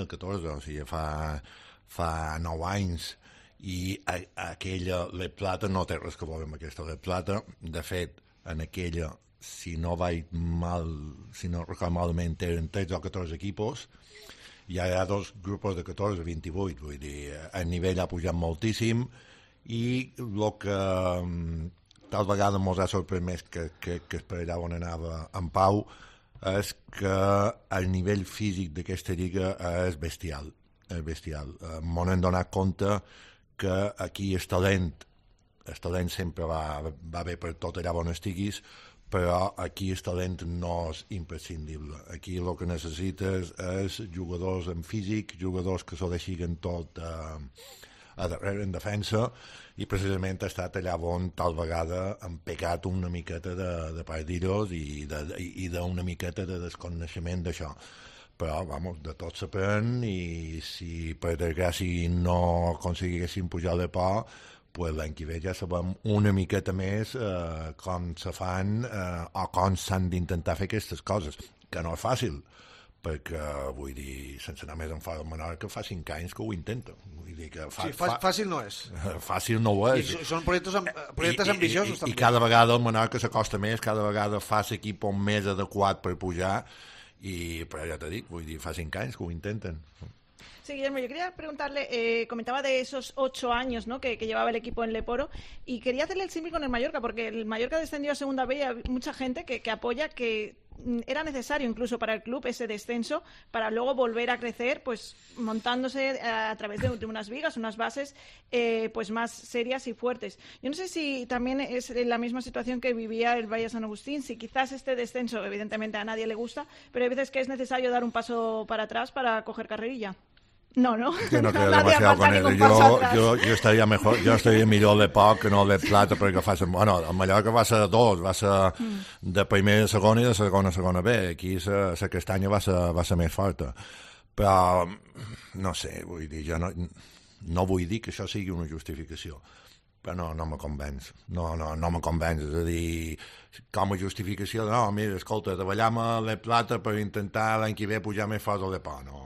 catorze, o sigui, fa, fa nou anys. I a, a aquella Lep Plata no té res que veure amb aquesta Lep Plata. De fet, en aquella, si no vaig mal, si no recordo malament, eren tretze o catorze equipos, i hi ha dos grups de catorze a vint-i-vuit, vull dir, el nivell ha pujat moltíssim, i el que tal vegada ens ha sorprès més que, que, que es per allà on anava en Pau és que el nivell físic d'aquesta lliga és bestial, és bestial. M'ho hem donat compte que aquí el talent, el talent sempre va, va bé per tot allà on estiguis, però aquí el talent no és imprescindible. Aquí el que necessites és jugadors en físic, jugadors que s'ho deixin tot eh, a darrere en defensa, i precisament ha estat allà on tal vegada han pegat una miqueta de, de pardillos i d'una miqueta de desconeixement d'això. Però, vamos, de tot s'aprèn, i si per desgràcia no aconseguissin pujar de por, pues l'any que ve ja sabem una miqueta més eh, com se fan eh, o com s'han d'intentar fer aquestes coses, que no és fàcil, perquè, vull dir, sense anar més en fora del Menorca, fa cinc anys que ho intenta. Vull dir que fa, sí, fa, fàcil no és. Fàcil no ho és. I són projectes, amb, projectes I, ambiciosos, i, i, també. I cada vegada el Menorca s'acosta més, cada vegada fa l'equip més adequat per pujar, y pero ya te digo, vull dir, fa cinc anys que ho intenten. Sí, Guillermo, yo quería preguntarle, eh, comentaba de esos ocho años, ¿no?, que, que llevaba el equipo en Leporo, y quería hacerle el símil con el Mallorca, porque el Mallorca descendió a Segunda B y hay mucha gente que, que apoya que era necesario incluso para el club ese descenso para luego volver a crecer, pues montándose a, a través de, de unas vigas, unas bases eh, pues más serias y fuertes. Yo no sé si también es la misma situación que vivía el Valle San Agustín, si quizás este descenso, evidentemente a nadie le gusta, pero hay veces que es necesario dar un paso para atrás para coger carrerilla. No, no. Yo no creo demasiado con eso. Yo, yo, yo estaría mejor, yo estaría millor de poc que no de plata, perquè fa ser, bueno, el Mallorca va ser dos, va ser de primera a segona i de segona a segona B. Aquí la castanya va ser, va ser més forta. Però, no sé, vull dir, jo no, no vull dir que això sigui una justificació, però no, no me convenç. No, no, no me convenç. És a dir, com a justificació de, no, mira, escolta, treballam a la plata per intentar l'any que ve pujar més fort al Depò. No,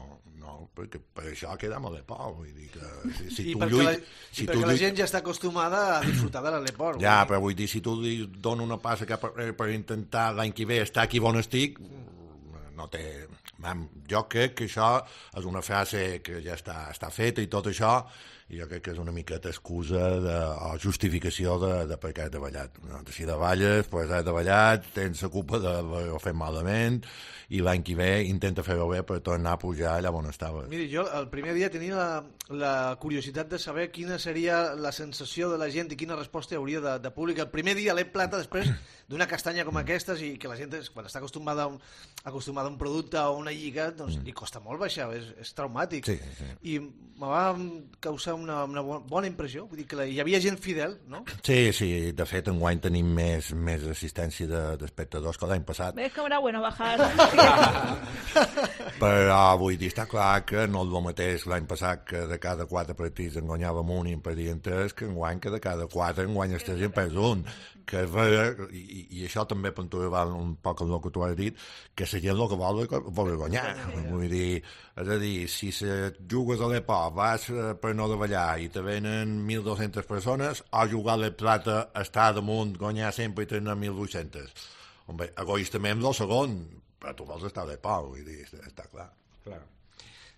perquè per això quedem a l'Eport, vull dir que si, si I tu perquè, lluit, la, si i tu perquè lluit... la gent ja està acostumada a disfrutar de l'Eport. Ja, però vull dir, si tu li dones una passa cap per, per intentar l'any que ve estar aquí on estic, no té... Jo crec que això és una frase que ja està, està feta i tot això, i jo crec que és una miqueta excusa de, o justificació de, de per què he treballat. No? Si treballes, pues has treballat, tens la culpa d'haver-ho fet malament, i l'any que ve intenta fer-ho bé per tornar a pujar allà on estava. Miri, jo el primer dia tenia la, la curiositat de saber quina seria la sensació de la gent i quina resposta hi hauria de, de públic. El primer dia l'E Plata, després d'una castanya com aquestes, i que la gent, quan està acostumada a un, acostumada a un producte o una lliga, doncs mm. li costa molt baixar, és, és traumàtic. Sí, sí. I me va causar una, una bona impressió, vull dir que la, hi havia gent fidel, no? Sí, sí, de fet enguany tenim més, més assistència de, d'espectadors que l'any passat. ¿Ves cómo era bueno bajar? Però vull dir, està clar que no és el mateix l'any passat, que de cada quatre partits en guanyàvem un i en perdien tres, que enguany que de cada quatre en guanyes tres i en perds un. Que és vera, i, i això també puntuava un poc el que tu has dit, que la gent el que vol, vol guanyar. Vull dir, és a dir, si se jugues a l'Eport, vas per no davallar i te venen mil dues-centes persones, o jugar a la Plata, estar damunt, guanyar sempre i tenir mil vuit-centes. Hombre, egoístament del segon, però tu vols estar a l'Eport, vull dir, està clar. Claro.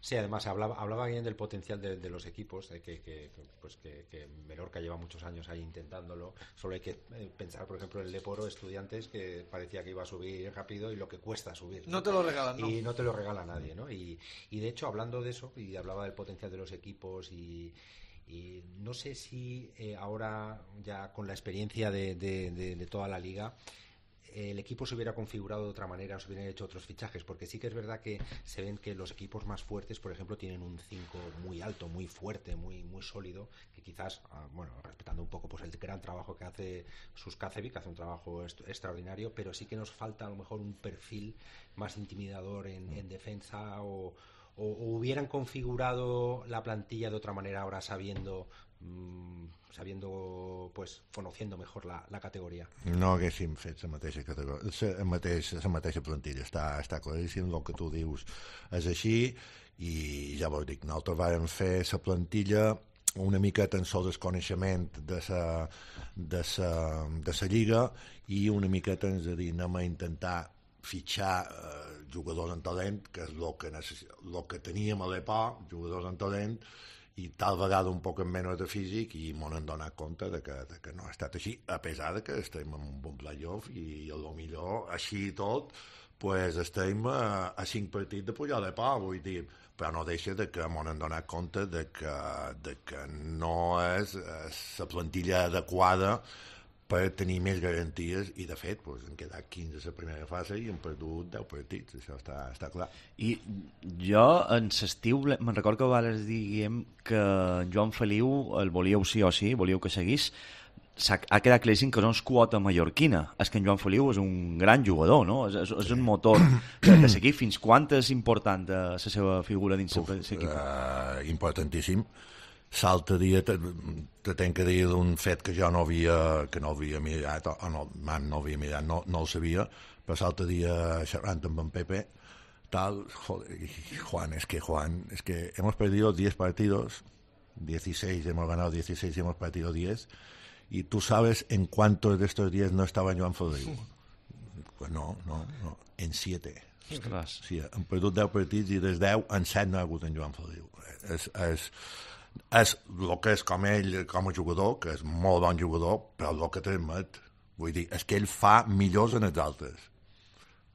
Sí, además hablaba, hablaba bien del potencial de, de los equipos, de que, que, pues que, que Menorca lleva muchos años ahí intentándolo. Solo hay que eh, pensar, por ejemplo, en el Leporo, Estudiantes, que parecía que iba a subir rápido y lo que cuesta subir. No, no te lo regalan, ¿no? Y no te lo regala nadie, ¿no? Y, y de hecho, hablando de eso, y hablaba del potencial de los equipos y... Y no sé si eh, ahora, ya con la experiencia de, de, de, de toda la liga, el equipo se hubiera configurado de otra manera o se hubieran hecho otros fichajes, porque sí que es verdad que se ven que los equipos más fuertes, por ejemplo, tienen un cinco muy alto, muy fuerte, muy muy sólido, que quizás, bueno, respetando un poco pues el gran trabajo que hace Suskacevic, que hace un trabajo est- extraordinario, pero sí que nos falta a lo mejor un perfil más intimidador en, en defensa o, o, o hubieran configurado la plantilla de otra manera ahora sabiendo... Mmm, sabiendo, pues, conociendo mejor la, la categoria. No haguéssim fet la mateixa categoria, la mateixa, la mateixa plantilla, està, està claríssim el que tu dius és així, i ja vos dic, nosaltres vam fer la plantilla una miqueta en el desconeixement de la de sa, de sa lliga, i una miqueta ens de dir, anem a intentar fitxar eh, jugadors en talent, que és el que, necess... el que teníem a l'Eport, jugadors en talent, i tal vegada un poc menys de físic, i m'ho hem donat compte de que, de que no ha estat així, a pesar de que estem en un bon playoff i a lo millor així i tot pues estem a, a cinc partits de pujar de pau, vull dir, però no deixa de que m'ho hem donat compte de que, de que no és la plantilla adequada per tenir més garanties, i de fet pues, han quedat quinze a la primera fase i han perdut deu partits, això està, està clar. I jo en l'estiu me'n recordo que vales diguem que en Joan Feliu el volíeu sí o sí, volíeu que seguís. Ha quedat claríssim que no és quota mallorquina, és que en Joan Feliu és un gran jugador, no? És, és, és un motor de, de seguir. Fins quan és important la seva figura dins l'equip? Uh, importantíssim. L'altre dia te, te tenc que dir d'un fet que jo no havia, que no havia mirat, o no, man, no havia mirat, no, no el sabia, però l'altre dia xerrant amb en Pepe, tal, joder, Juan, es que Juan, es que hemos perdido diez partidos, dieciséis, hemos ganado dieciséis y hemos perdido diez, y tú sabes en cuántos de estos diez no estaba Joan Feliu. Pues no, no, no, en siete. Ostres. Sí, han perdut deu partits i dels deu en set no ha hagut en Joan Feliu. És, és, és el que és com ell, com a jugador, que és molt bon jugador, però el que transmet, vull dir, és que ell fa millors en els altres.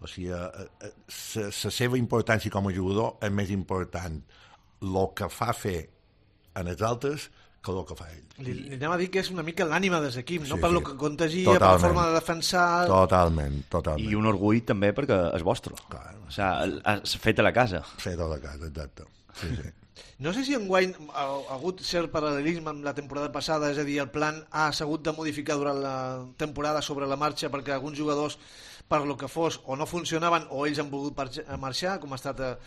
O sigui, la seva importància com a jugador és més important el que fa fer en els altres que el que fa ell. Li, li anem a dir que és una mica l'ànima de l'equip, sí, no? Per sí. lo que contagia, totalment. Per la forma de defensar... Totalment, totalment. I un orgull també perquè és vostre. Clar. O sigui, és fet a la casa. Fet a la casa, exacte. Sí, sí. No sé si enguany ha, ha hagut cert paral·lelisme amb la temporada passada, és a dir, el plan ha hagut de modificar durant la temporada sobre la marxa perquè alguns jugadors, per lo que fos, o no funcionaven o ells han volgut marxar, com ha estat a,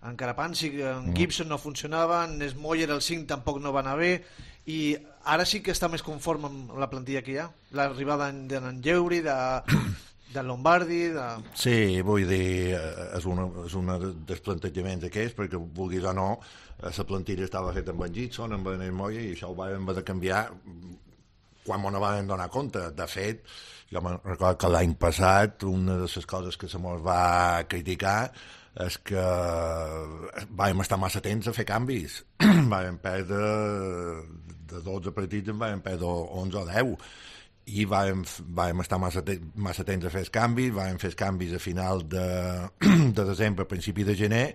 en Karapansi, en Gibson no funcionava, en Smoyer el cinc tampoc no va anar bé, i ara sí que està més conforme amb la plantilla que hi ha, l'arribada d'en Lleuri, de, de Lombardi, de... Sí, vull dir, és un és una dels plantejaments aquests, perquè vulguis o no, la plantilla estava feta amb en Gibson, amb en Smoyer, i això ho vam haver de canviar quan no vam donar compte. De fet, jo me'n recordo que l'any passat una de les coses que se mos va criticar és que vam estar massa temps a fer canvis. Vam perdre de dotze partits, en vam perdre onze o deu, i vam, vam estar massa, te massa temps a fer els canvis, vam fer els canvis a final de, de desembre, a principi de gener,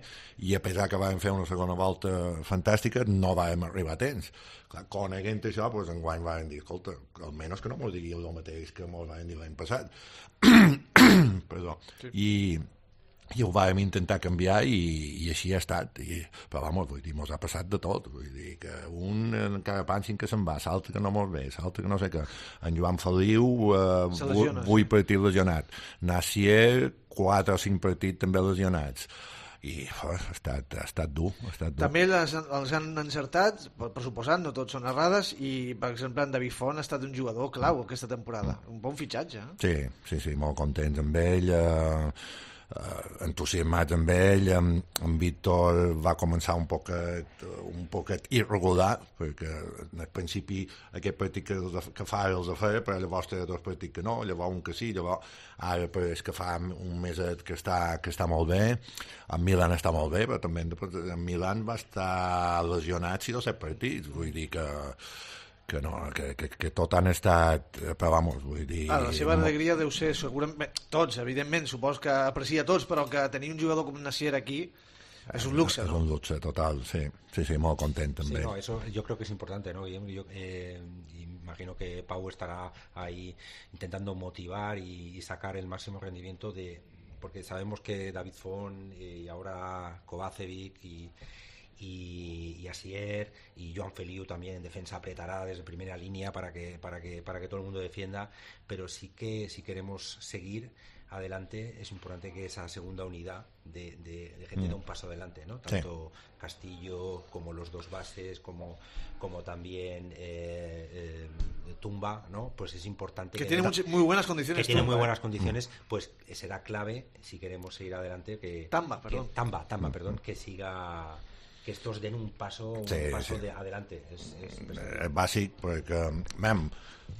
i a pesar que vam fer una segona volta fantàstica, no vam arribar a temps. Clar, coneguent això, doncs, enguany vam dir, escolta, almenys que no mos digueu el mateix que mos vam dir l'any passat. Perdó. Sí. I... i ho vam intentar canviar i, i així ha estat. I, però, vamos, vull dir, mos ha passat de tot. Vull dir que un encara pensin que se'n va, l'altre que no mos ve, l'altre que no sé què. En Joan Feliu, eh, vuit partits lesionat. Nacier, quatre o cinc partits també lesionats. I oh, ha, estat, ha estat dur, ha estat dur. També les, els han encertat, per suposat, no tots són errades, i per exemple en David Font ha estat un jugador clau aquesta temporada, un bon fitxatge. Eh? Sí, sí, sí, molt contents amb ell, eh, Uh, entusiasmats amb ell. en, en Víctor va començar un poquet, un poquet irregular, perquè al principi aquest partit que, que fa els a fer, però llavors té dos partits que no, llavors un que sí, llavors ara és que fa un meset que està, que està molt bé. En Milan està molt bé, però també en Milan va estar lesionat sis o set partits, vull dir que que no, que, que, que tot han estat, però vamos, vull dir... Ah, la seva alegria deu ser segurament, tots, evidentment, supos que aprecia tots, però que tenir un jugador com Nacier aquí es un luxe, es ¿no? un luxe total, sí, sí, sí, molt content també. Sí, no, eso yo creo que es importante, ¿no? Yo, yo eh, imagino que Pau estará ahí intentando motivar y, y sacar el máximo rendimiento de, porque sabemos que David Font y ahora Kovacevic y Y, y Asier y Joan Feliu también en defensa apretará desde primera línea para que para que para que todo el mundo defienda, pero sí que si queremos seguir adelante es importante que esa segunda unidad de, de, de gente mm. dé un paso adelante, ¿no? Tanto sí. Castillo como los dos bases, como como también eh, eh, Tumba, ¿no? Pues es importante que, que tiene muy buenas condiciones, que tiene Tumba, muy buenas ¿eh? condiciones, pues será clave si queremos seguir adelante que Tamba, perdón, que, Tamba, Tamba, perdón, que siga, que estos den un paso, un sí, paso sí. de adelante. És, és, és bàsic, perquè, mem,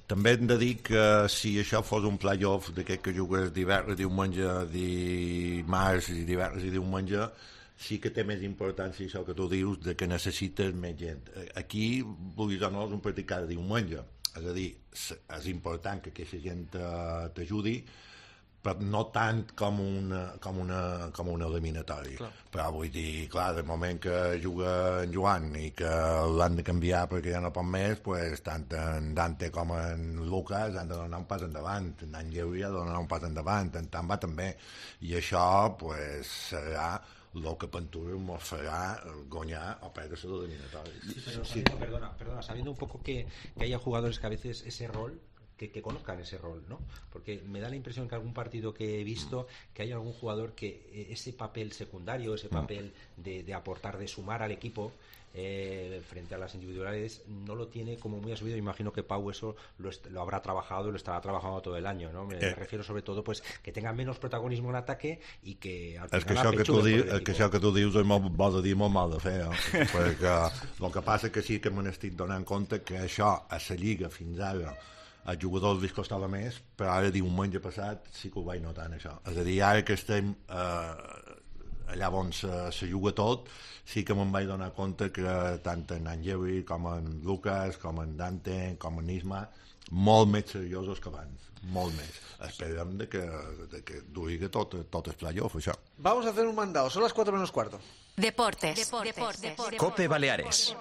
també hem de dir que si això fos un playoff d'aquest que jugues divendres, diumenge, dimarts i divendres i diumenge, sí que té més importància això que tu dius, de que necessites més gent. Aquí, vulguis o no, és un partit cada diumenge. És a dir, és important que aquesta gent t'ajudi, però no tant com una, com una, com una eliminatori. Clar. Però vull dir, clar, del moment que juga en Joan i que l'han de canviar perquè ja no pot més, pues, tant en Dante com en Lucas han de donar un pas endavant, en Àngel ha de donar un pas endavant, en Tamba també, i això pues, serà el que Panturo ens farà guanyar o perdre les eliminatòries. Sí, pero sabiendo, sí. perdona, perdona, sabiendo un poco que, que haya jugadores que a veces ese rol Que, que conozcan ese rol, ¿no? Porque me da la impresión que algún partido que he visto que hay algún jugador que ese papel secundario, ese papel de, de aportar, de sumar al equipo eh, frente a las individualidades, no lo tiene como muy asumido. Imagino que Pau eso lo, lo habrá trabajado y lo estará trabajando todo el año, ¿no? Me, eh. me refiero sobre todo pues que tenga menos protagonismo en ataque i que al final això que, tu diu, que això que tu dius és molt bo de dir, molt mal de fer, no? Perquè el que passa que sí que me n'estic donant compte que això a la Lliga fins ara als jugadors li costava més, però ara diumenge passat sí que ho vaig notar això. És a dir, ara que estem eh, allà on se, se juga tot, sí que me'n vaig donar compte que tant en Angeli com en Lucas, com en Dante, com en Isma, molt més seriosos que abans, molt més. Esperem de que, de que duri tot, tot el playoff, això. Vamos a hacer un mandado, son las cuatro menos cuarto. Deportes. Deportes. Deportes. Deportes. Cope Baleares.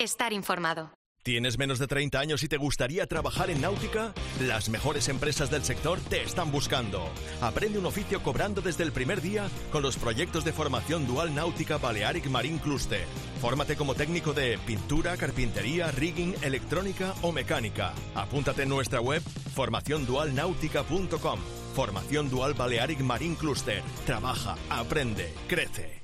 Estar informado. ¿Tienes menos de treinta años y te gustaría trabajar en náutica? Las mejores empresas del sector te están buscando. Aprende un oficio cobrando desde el primer día con los proyectos de formación dual náutica Balearic Marine Cluster. Fórmate como técnico de pintura, carpintería, rigging, electrónica o mecánica. Apúntate en nuestra web formación dual náutica punto com. Formación Dual Balearic Marine Cluster. Trabaja, aprende, crece.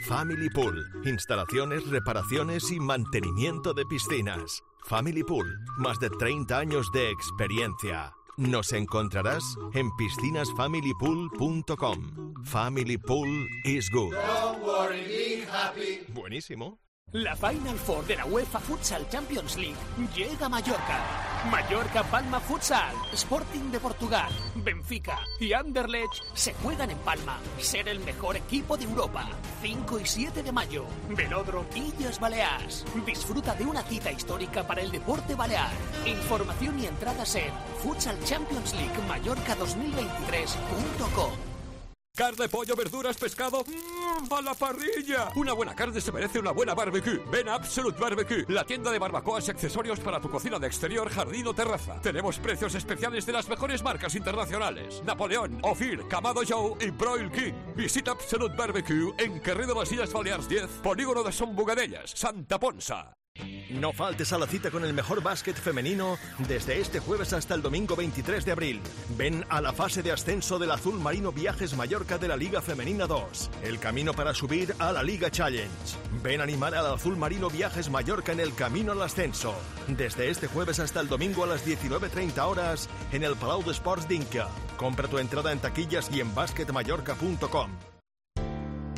Family Pool. Instalaciones, reparaciones y mantenimiento de piscinas. Family Pool. Más de treinta años de experiencia. Nos encontrarás en piscinas family pool punto com. Family Pool is good. Don't worry, be happy. Buenísimo. La Final Four de la UEFA Futsal Champions League llega a Mallorca. Mallorca Palma Futsal, Sporting de Portugal, Benfica y Anderlecht se juegan en Palma. Ser el mejor equipo de Europa. cinco y siete de mayo, Velódromo Illes Balears. Disfruta de una cita histórica para el deporte balear. Información y entradas en futsal champions league mallorca dos mil veintitrés punto com. Carne, pollo, verduras, pescado, mmm, a la parrilla. Una buena carne se merece una buena barbecue. Ven a Absolute Barbecue, la tienda de barbacoas y accesorios para tu cocina de exterior, jardín o terraza. Tenemos precios especiales de las mejores marcas internacionales: Napoleón, Ophir, Kamado Joe y Broil King. Visita Absolute Barbecue en Carrer de las Illes Balears diez, Polígono de Son Bugadellas, Santa Ponsa. No faltes a la cita con el mejor básquet femenino desde este jueves hasta el domingo veintitrés de abril. Ven a la fase de ascenso del Azul Marino Viajes Mallorca de la Liga Femenina dos. El camino para subir a la Liga Challenge. Ven a animar al Azul Marino Viajes Mallorca en el camino al ascenso. Desde este jueves hasta el domingo a las diecinueve treinta horas en el Palau d'Esports d'Inca. Compra tu entrada en taquillas y en basket mallorca punto com.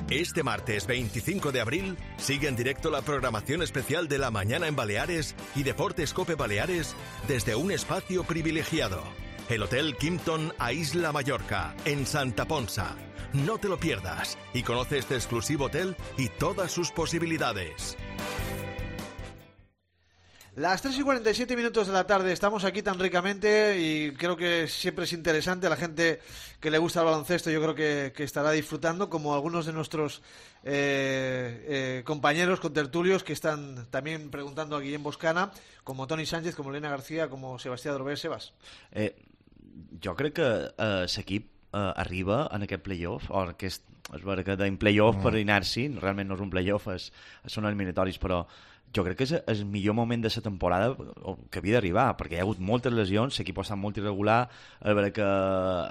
Este martes veinticinco de abril sigue en directo la programación especial de La Mañana en Baleares y Deportes Cope Baleares desde un espacio privilegiado. El Hotel Kimpton a Isla Mallorca, en Santa Ponsa. No te lo pierdas y conoce este exclusivo hotel y todas sus posibilidades. Las tres y cuarenta y siete minutos de la tarde, estamos aquí tan ricamente y creo que siempre es interesante. La gente que le gusta el baloncesto yo creo que, que estará disfrutando, como algunos de nuestros eh, eh, compañeros contertulios que están también preguntando a Guillem Boscana, como Toni Sánchez, como Elena García, como Sebastià Drover. Sebas. Eh, jo crec que eh, l'equip eh, arriba en aquest playoff, o aquest, és veritat que deim playoff mm. per anar-s'hi, realment no és un playoff, és, són eliminatoris, però jo crec que és el millor moment de la temporada que havia d'arribar, perquè hi ha hagut moltes lesions, l'equip ha estat molt irregular, és veritat que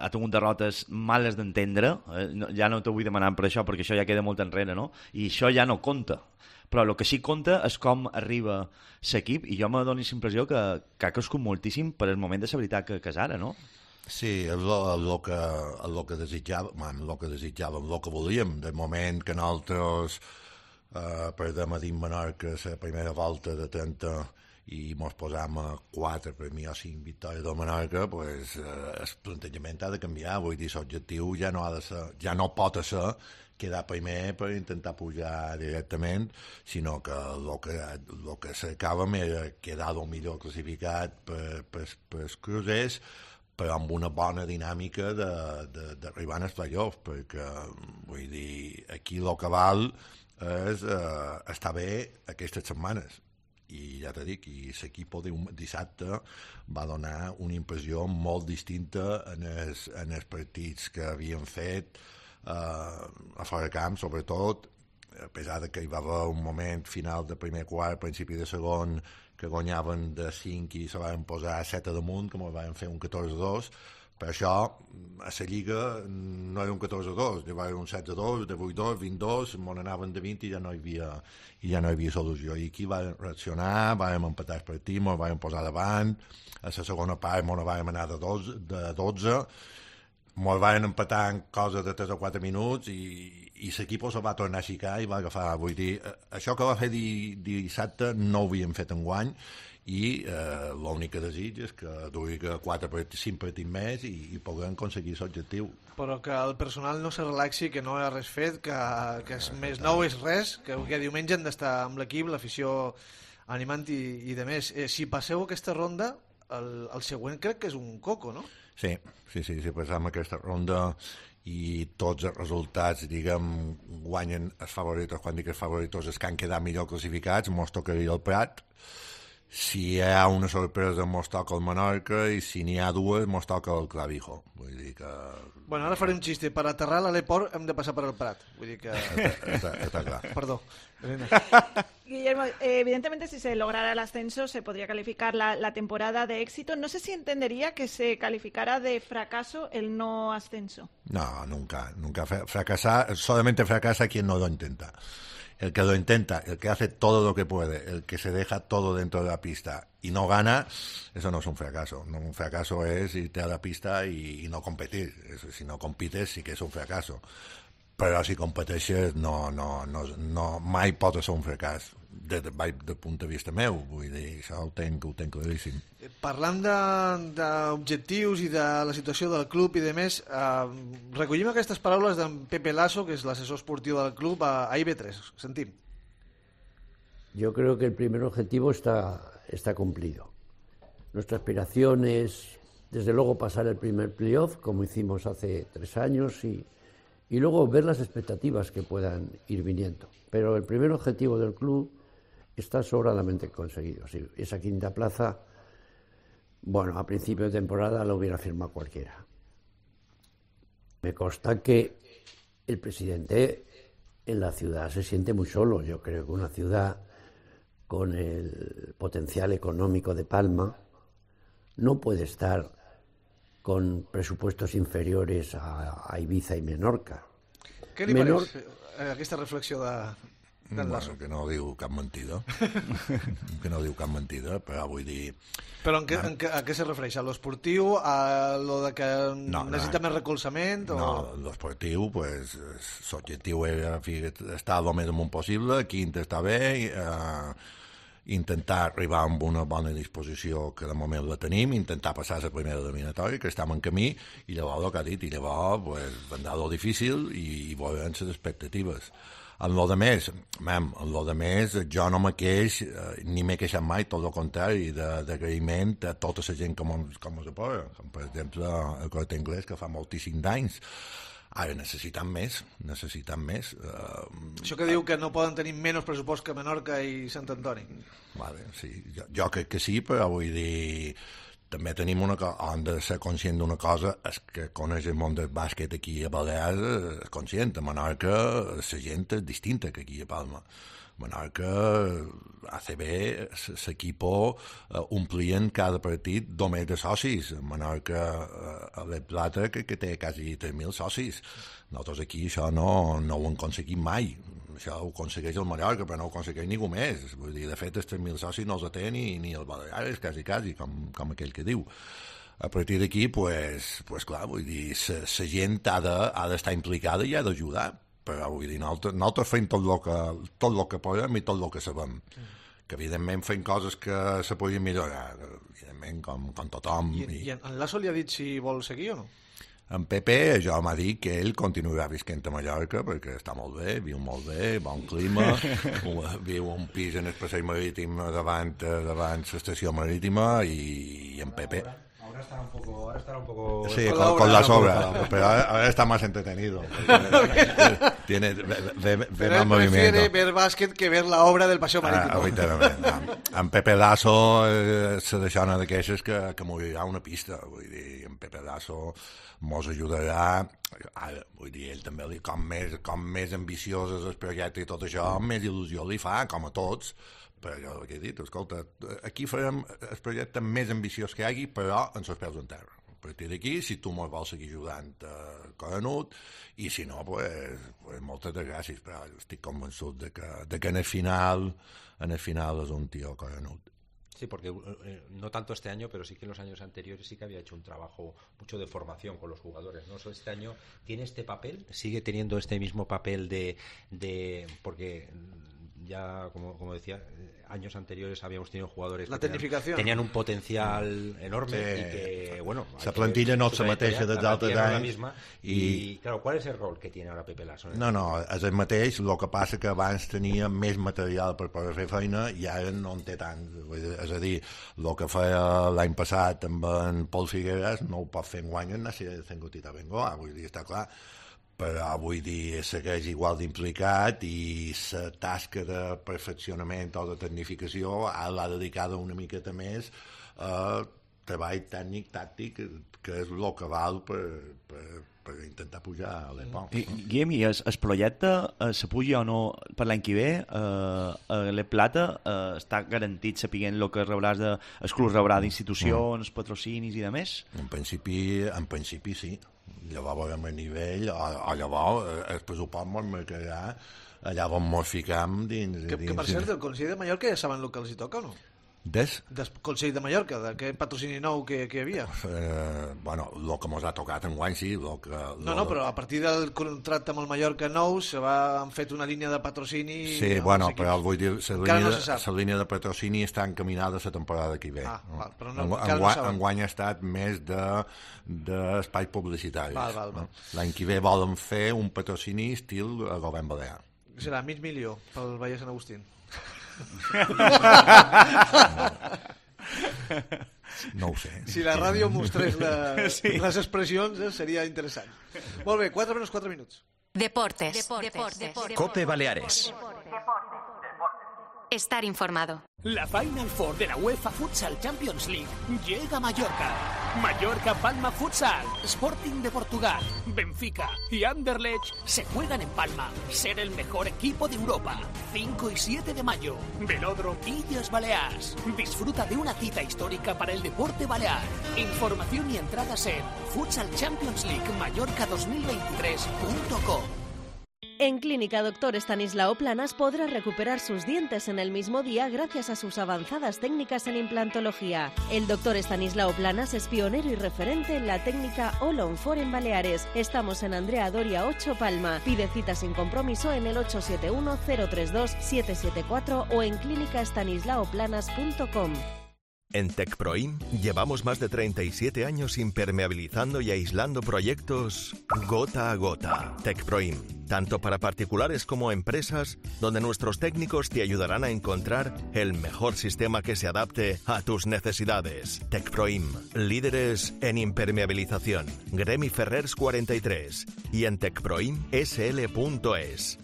ha tingut derrotes males d'entendre, ja no t'ho vull demanar per això, perquè això ja queda molt enrere, no? I això ja no compta. Però el que sí compta és com arriba l'equip, i jo me dono la impressió que, que ha crescut moltíssim per el moment de la veritat que, que és ara, no? Sí, és el que, el que desitjàvem, el que desitjàvem, el que volíem, del moment que nosaltres Uh, perdem a dins Menorca la primera volta de trenta i mos posam a quatre premi o cinc victòries de Menorca, pues, uh, el plantejament ha de canviar. Vull dir, l'objectiu ja no ha de ser, ja no pot ser quedar primer per intentar pujar directament, sinó que el que, lo que cercàvem era quedar el millor classificat per, per, per els crucers, però amb una bona dinàmica d'arribar als playoffs, perquè, vull dir, aquí el que val és eh, estar bé aquestes setmanes. I ja t'he dit, i l'equip dissabte va donar una impressió molt distinta en els, en els partits que havien fet eh, a fora de camp, sobretot, a pesar de que hi va haver un moment final de primer quart, principi de segon, que guanyaven de cinc i se van posar set a damunt, com van fer un catorze a dos, per això a la Lliga no era un catorze a dos, hi va haver un setze a dos, de vuit a dos, vint a dos, m'on anaven de vint i ja no hi havia, i ja no hi havia solució. I aquí vam reaccionar, vam empatar el partit, ens vam posar davant, a la segona part ens vam anar de, dos, de dotze, ens vam empatar en cosa de tres o quatre minuts i, i l'equip se va tornar a aixecar i va agafar, vull dir, això que va fer di, dissabte no ho havíem fet enguany i eh, l'únic que desig és que duri quatre partits, cinc partits més i, i puguem aconseguir l'objectiu. Però que el personal no se relaxi, que no hi ha res fet, que, que és més nou és res, que, que diumenge han d'estar amb l'equip, l'afició animant i, i de més. Eh, si passeu aquesta ronda, el, el següent crec que és un coco, no? Sí, sí, sí, si passam aquesta ronda i tots els resultats, diguem, guanyen els favoritos, quan dic els favoritos, els que han quedat millor classificats, mos tocaria el Prat. Si hi ha una sorpresa, mos toca el Menorca, i si n'hi ha dues, mos toca el Clavijo. Vull dir que... Bueno, ara faré un xiste. Per aterrar a l'Aleport hem de passar per el Prat. Vull dir que... Està, està, està clar. Perdó. Guillermo, eh, evidentemente si se lograra el ascenso se podría calificar la, la temporada de éxito. No sé si entendería que se calificara de fracaso el no ascenso. No, nunca. Nunca fracasar, solamente fracasa quien no lo intenta. El que lo intenta, el que hace todo lo que puede, el que se deja todo dentro de la pista y no gana, eso no es un fracaso. No, un fracaso es irte a la pista y, y no competir. Eso, si no compites sí que és un fracaso. Però si competeixes no, no, no, no, mai pot ser un fracàs des de, de punt de vista meu, vull dir, això ho tenc, ho tenc claríssim. Parlant d'objectius i de la situació del club i de més, eh, recollim aquestes paraules d'en Pepe Lasso, que és l'assessor esportiu del club, a, a I B tres. Sentim. Yo creo que el primer objetivo está, está cumplido. Nuestra aspiración es, desde luego, pasar el primer playoff, como hicimos hace tres años, y y luego ver las expectativas que puedan ir viniendo. Pero el primer objetivo del club está sobradamente conseguido. Sí, esa quinta plaza, bueno, a principio de temporada lo hubiera firmado cualquiera. Me consta que el presidente en la ciudad se siente muy solo. Yo creo que una ciudad con el potencial económico de Palma no puede estar con presupuestos inferiores a, a Ibiza y Menorca. Què li Menor... pareix aquesta reflexió de, d'en Lasso? Bueno, que no diu cap mentida. que no diu cap mentida, però vull dir... Però en què, en què, a què se refereix? A l'esportiu? A lo de que no, necessita no, més recolzament? O... No, l'esportiu, pues, l'objectiu era estar el més amunt possible, quint està bé, eh, intentar arribar amb una bona disposició, que de moment la tenim, intentar passar la primera eliminatòria, que estem en camí, i llavors el que ha dit, i llavors pues, vendrà lo difícil i, i veurem les expectatives. En lo de més, mem, en lo de més, jo no me queix, eh, ni m'he queixat mai, tot el contrari, d'agraïment a tota la gent com, com es apoya, com per exemple el Corte Inglés, que fa moltíssims d'anys. Ara necessitem més, necessitem més. Uh, Això que diu que no poden tenir menys pressupost que Menorca i Sant Antoni. Vale, sí, jo, jo crec que sí, però vull dir, també tenim una cosa, hem de ser conscient d'una cosa, és que coneix el món del bàsquet aquí a Balears, és conscient, a Menorca la gent és distinta que aquí a Palma. Menorca, A C B, l'equip uh, omplien cada partit només de socis. Menorca, uh, a la Plata, que, que té quasi tres mil socis. Nosaltres aquí això no, no ho hem aconseguit mai. Això ho aconsegueix el Mallorca, però no ho aconsegueix ningú més. Vull dir, de fet, els tres mil socis no els té ni, ni el Balears, quasi, quasi, com, com aquell que diu. A partir d'aquí, pues, pues clar, vull dir, la gent ha d'estar de, implicada i ha d'ajudar. Però vull dir, nosaltres, nosaltres fem tot el que, tot el que podem i tot el que sabem. Mm. Que evidentment fem coses que se podien millorar, evidentment, com, com tothom. I, i... I en Lasso li ha dit si vol seguir o no? En Pepe jo m'ha dit que ell continuarà visquent a Mallorca perquè està molt bé, viu molt bé, bon clima, viu un pis en el passeig marítim davant, davant l'estació marítima i, i en Pepe... estará un poco, ahora estará un poco Sí, con, con, la con las obra, obras, pero ahora, ahora está más entretenido. Tiene, ve, ve, ve Pero él movimiento. prefiere ver bàsquet que ver la obra del Paseo Marítimo. Ah, literalment. En, en Pepe Lasso eh, se deixa una d'aquestes que, que m'obrirà una pista. Vull dir, en Pepe Lasso mos ajudarà. Ara, vull dir, ell també, li- com més, com més ambiciós és el projecte i tot això, més il·lusió li fa, com a tots. Però jo el que he dit, escolta, aquí farem el projecte més ambiciós que hi hagi, però amb els peus en terra. A partir d'aquí, si tu mos vols seguir ajudant a Coronut, i si no, pues, pues moltes de gràcies, però estic convençut de que, de que en el final en el final és un tío Coronut. Sí, porque eh, no tanto este año, pero sí que en los años anteriores sí que había hecho un trabajo mucho de formación con los jugadores, ¿no? Este año tiene este papel, sigue teniendo este mismo papel de, de porque ya, como, como decía, años anteriores habíamos tenido jugadores La que tenían, tecnificación. tenían un potencial enorme Sí. y que, bueno... hay La que plantilla ver no su se mateixa trayectoria, dels la altres plantilla no es la anys misma, i- y, claro, ¿cuál es el rol que tiene ahora Pepe Lasso? No, no, és el mateix, el que passa que abans tenia més material per poder fer feina i ara no en té tant. Vull dir, és a dir, el que feia l'any passat amb en Pol Figueres no ho pot fer enguany en Nàcia de Cengotita Bengoa, vull dir, està clar. Però vull dir, segueix igual d'implicat i la tasca de perfeccionament o de tecnificació l'ha dedicada una miqueta més a treball tècnic, tàctic, que és el que val per, per, per intentar pujar a l'Epon. I, Guillem, i es, es projecte, eh, se puja o no per l'any que ve, eh, a l'E Plata, eh, està garantit sapiguent el que rebràs de, el club rebrà d'institucions, mm. patrocinis i de més? En principi, en principi sí. Llavors veurem el nivell, o, o llavors eh, el pressupost mos marcarà allà on mos ficam dins... Que, dins que per cert, el Consell de Mallorca ja saben el que els hi toca o no? Des? Del Consell de Mallorca, d'aquest patrocini nou que, que hi havia. Eh, bueno, el que mos ha tocat enguany sí, lo que... No, no, però a partir del contracte amb el Mallorca nou se va, han fet una línia de patrocini... Sí, bueno, però vull dir, la Encara línia, no se sap. la línia de patrocini està encaminada a la temporada que ve. Ah, val, però no- En- encara no enguany, saben. enguany ha estat més de d'espais publicitaris. Val, val, val. No? L'any que ve volen fer un patrocini estil a govern balear. Serà mig milió pel Valle Sant Agustín. No ho sé. Si la ràdio mostrés la, Sí. les expressions, eh, seria interessant. Molt bé, quatre menys quatre minuts. Deportes. Deportes. Cope Baleares. Estar informado. La Final Four de la UEFA Futsal Champions League llega a Mallorca. Mallorca Palma Futsal, Sporting de Portugal, Benfica y Anderlecht se juegan en Palma. Ser el mejor equipo de Europa. cinco y siete de mayo. Velódromo Illes Balears. Disfruta de una cita histórica para el deporte balear. Información y entradas en futsal champions league mallorca dos mil veintitrés punto com. En Clínica Doctor Estanislao Planas podrá recuperar sus dientes en el mismo día gracias a sus avanzadas técnicas en implantología. El doctor Estanislao Planas es pionero y referente en la técnica All on Four en Baleares. Estamos en Andrea Doria ocho Palma. Pide cita sin compromiso en el ocho siete uno cero tres dos siete siete cuatro o en clínica estanislao planas punto com. En TecProim llevamos más de treinta y siete años impermeabilizando y aislando proyectos gota a gota. TecProim, tanto para particulares como empresas, donde nuestros técnicos te ayudarán a encontrar el mejor sistema que se adapte a tus necesidades. TecProim, líderes en impermeabilización. Gremi Ferrers cuarenta y tres y en tecproim s l punto es.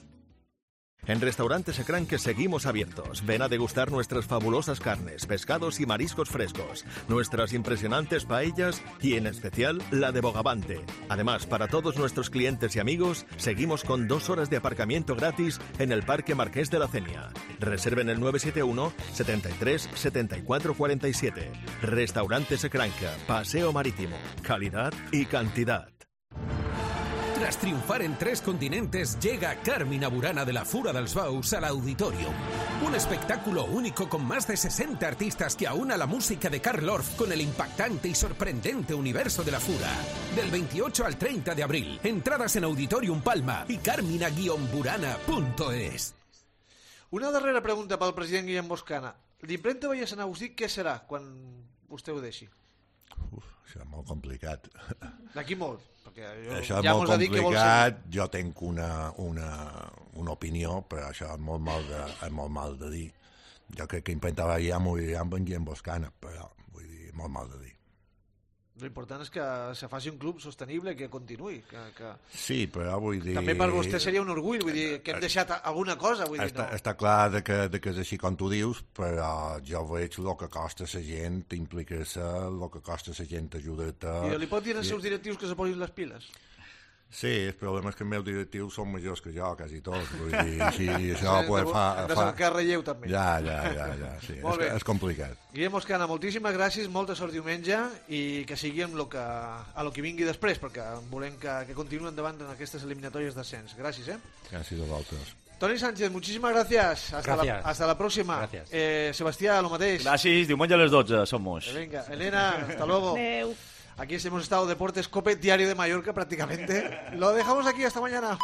En Restaurante Secranque seguimos abiertos. Ven a degustar nuestras fabulosas carnes, pescados y mariscos frescos, nuestras impresionantes paellas y, en especial, la de Bogavante. Además, para todos nuestros clientes y amigos, seguimos con dos horas de aparcamiento gratis en el Parque Marqués de la Cenia. Reserven el nueve siete uno setenta y tres setenta y cuatro cuarenta y siete. Restaurante Secranque, Paseo Marítimo. Calidad y cantidad. Tras triunfar en tres continentes, llega Carmina Burana de la Fura dels Baus al Auditorium. Un espectáculo único con más de sesenta artistas que aúna la música de Carl Orff con el impactante y sorprendente universo de la Fura. Del veintiocho al treinta de abril. Entradas en Auditorium Palma y carmina burana punto es. Una darrera pregunta pel president Guillem Boscana. L'impremta Valle Sant Agustí què serà quan vostè ho deixi? Uf, això és molt complicat. D'aquí molt. Perquè jo, Això és ja molt mos ha dit que vol complicat, jo tinc una, una, una opinió, però això és molt mal de, és molt mal de dir. Jo crec que intentava ja morir amb en Guillem Boscana, però vull dir, molt mal de dir. L'important és que se faci un club sostenible, que continuï. Que, que... Sí, però vull dir... També per vostè seria un orgull, vull dir, que hem deixat alguna cosa. Vull dir, està, no. està clar de que, de que és així com tu dius, però jo veig el que costa la gent implicar-se, el que costa la gent ajudar-te... I li pot dir als seus directius que se posin les piles? Sí, el problema és que els meus directius són majors que jo, quasi tots. Vull dir, si això sí, pues, fa... Hem de fa... cercar relleu, també. Ja, ja, ja, ja sí. és, és complicat. Guillem Oscana, moltíssimes gràcies, molta sort diumenge i que sigui amb lo que, a lo que vingui després, perquè volem que, que continuï endavant en aquestes eliminatòries d'ascens. Gràcies, eh? Gràcies a vosaltres. Toni Sánchez, muchísimas gracias. Hasta, gracias. La, hasta la próxima. Gracias. Eh, Sebastià, lo mateix. Gràcies, diumenge a les dotze, somos. Venga, Elena, hasta luego. Aquí hemos estado Deportes Cope, Diario de Mallorca prácticamente. Lo dejamos aquí, hasta mañana.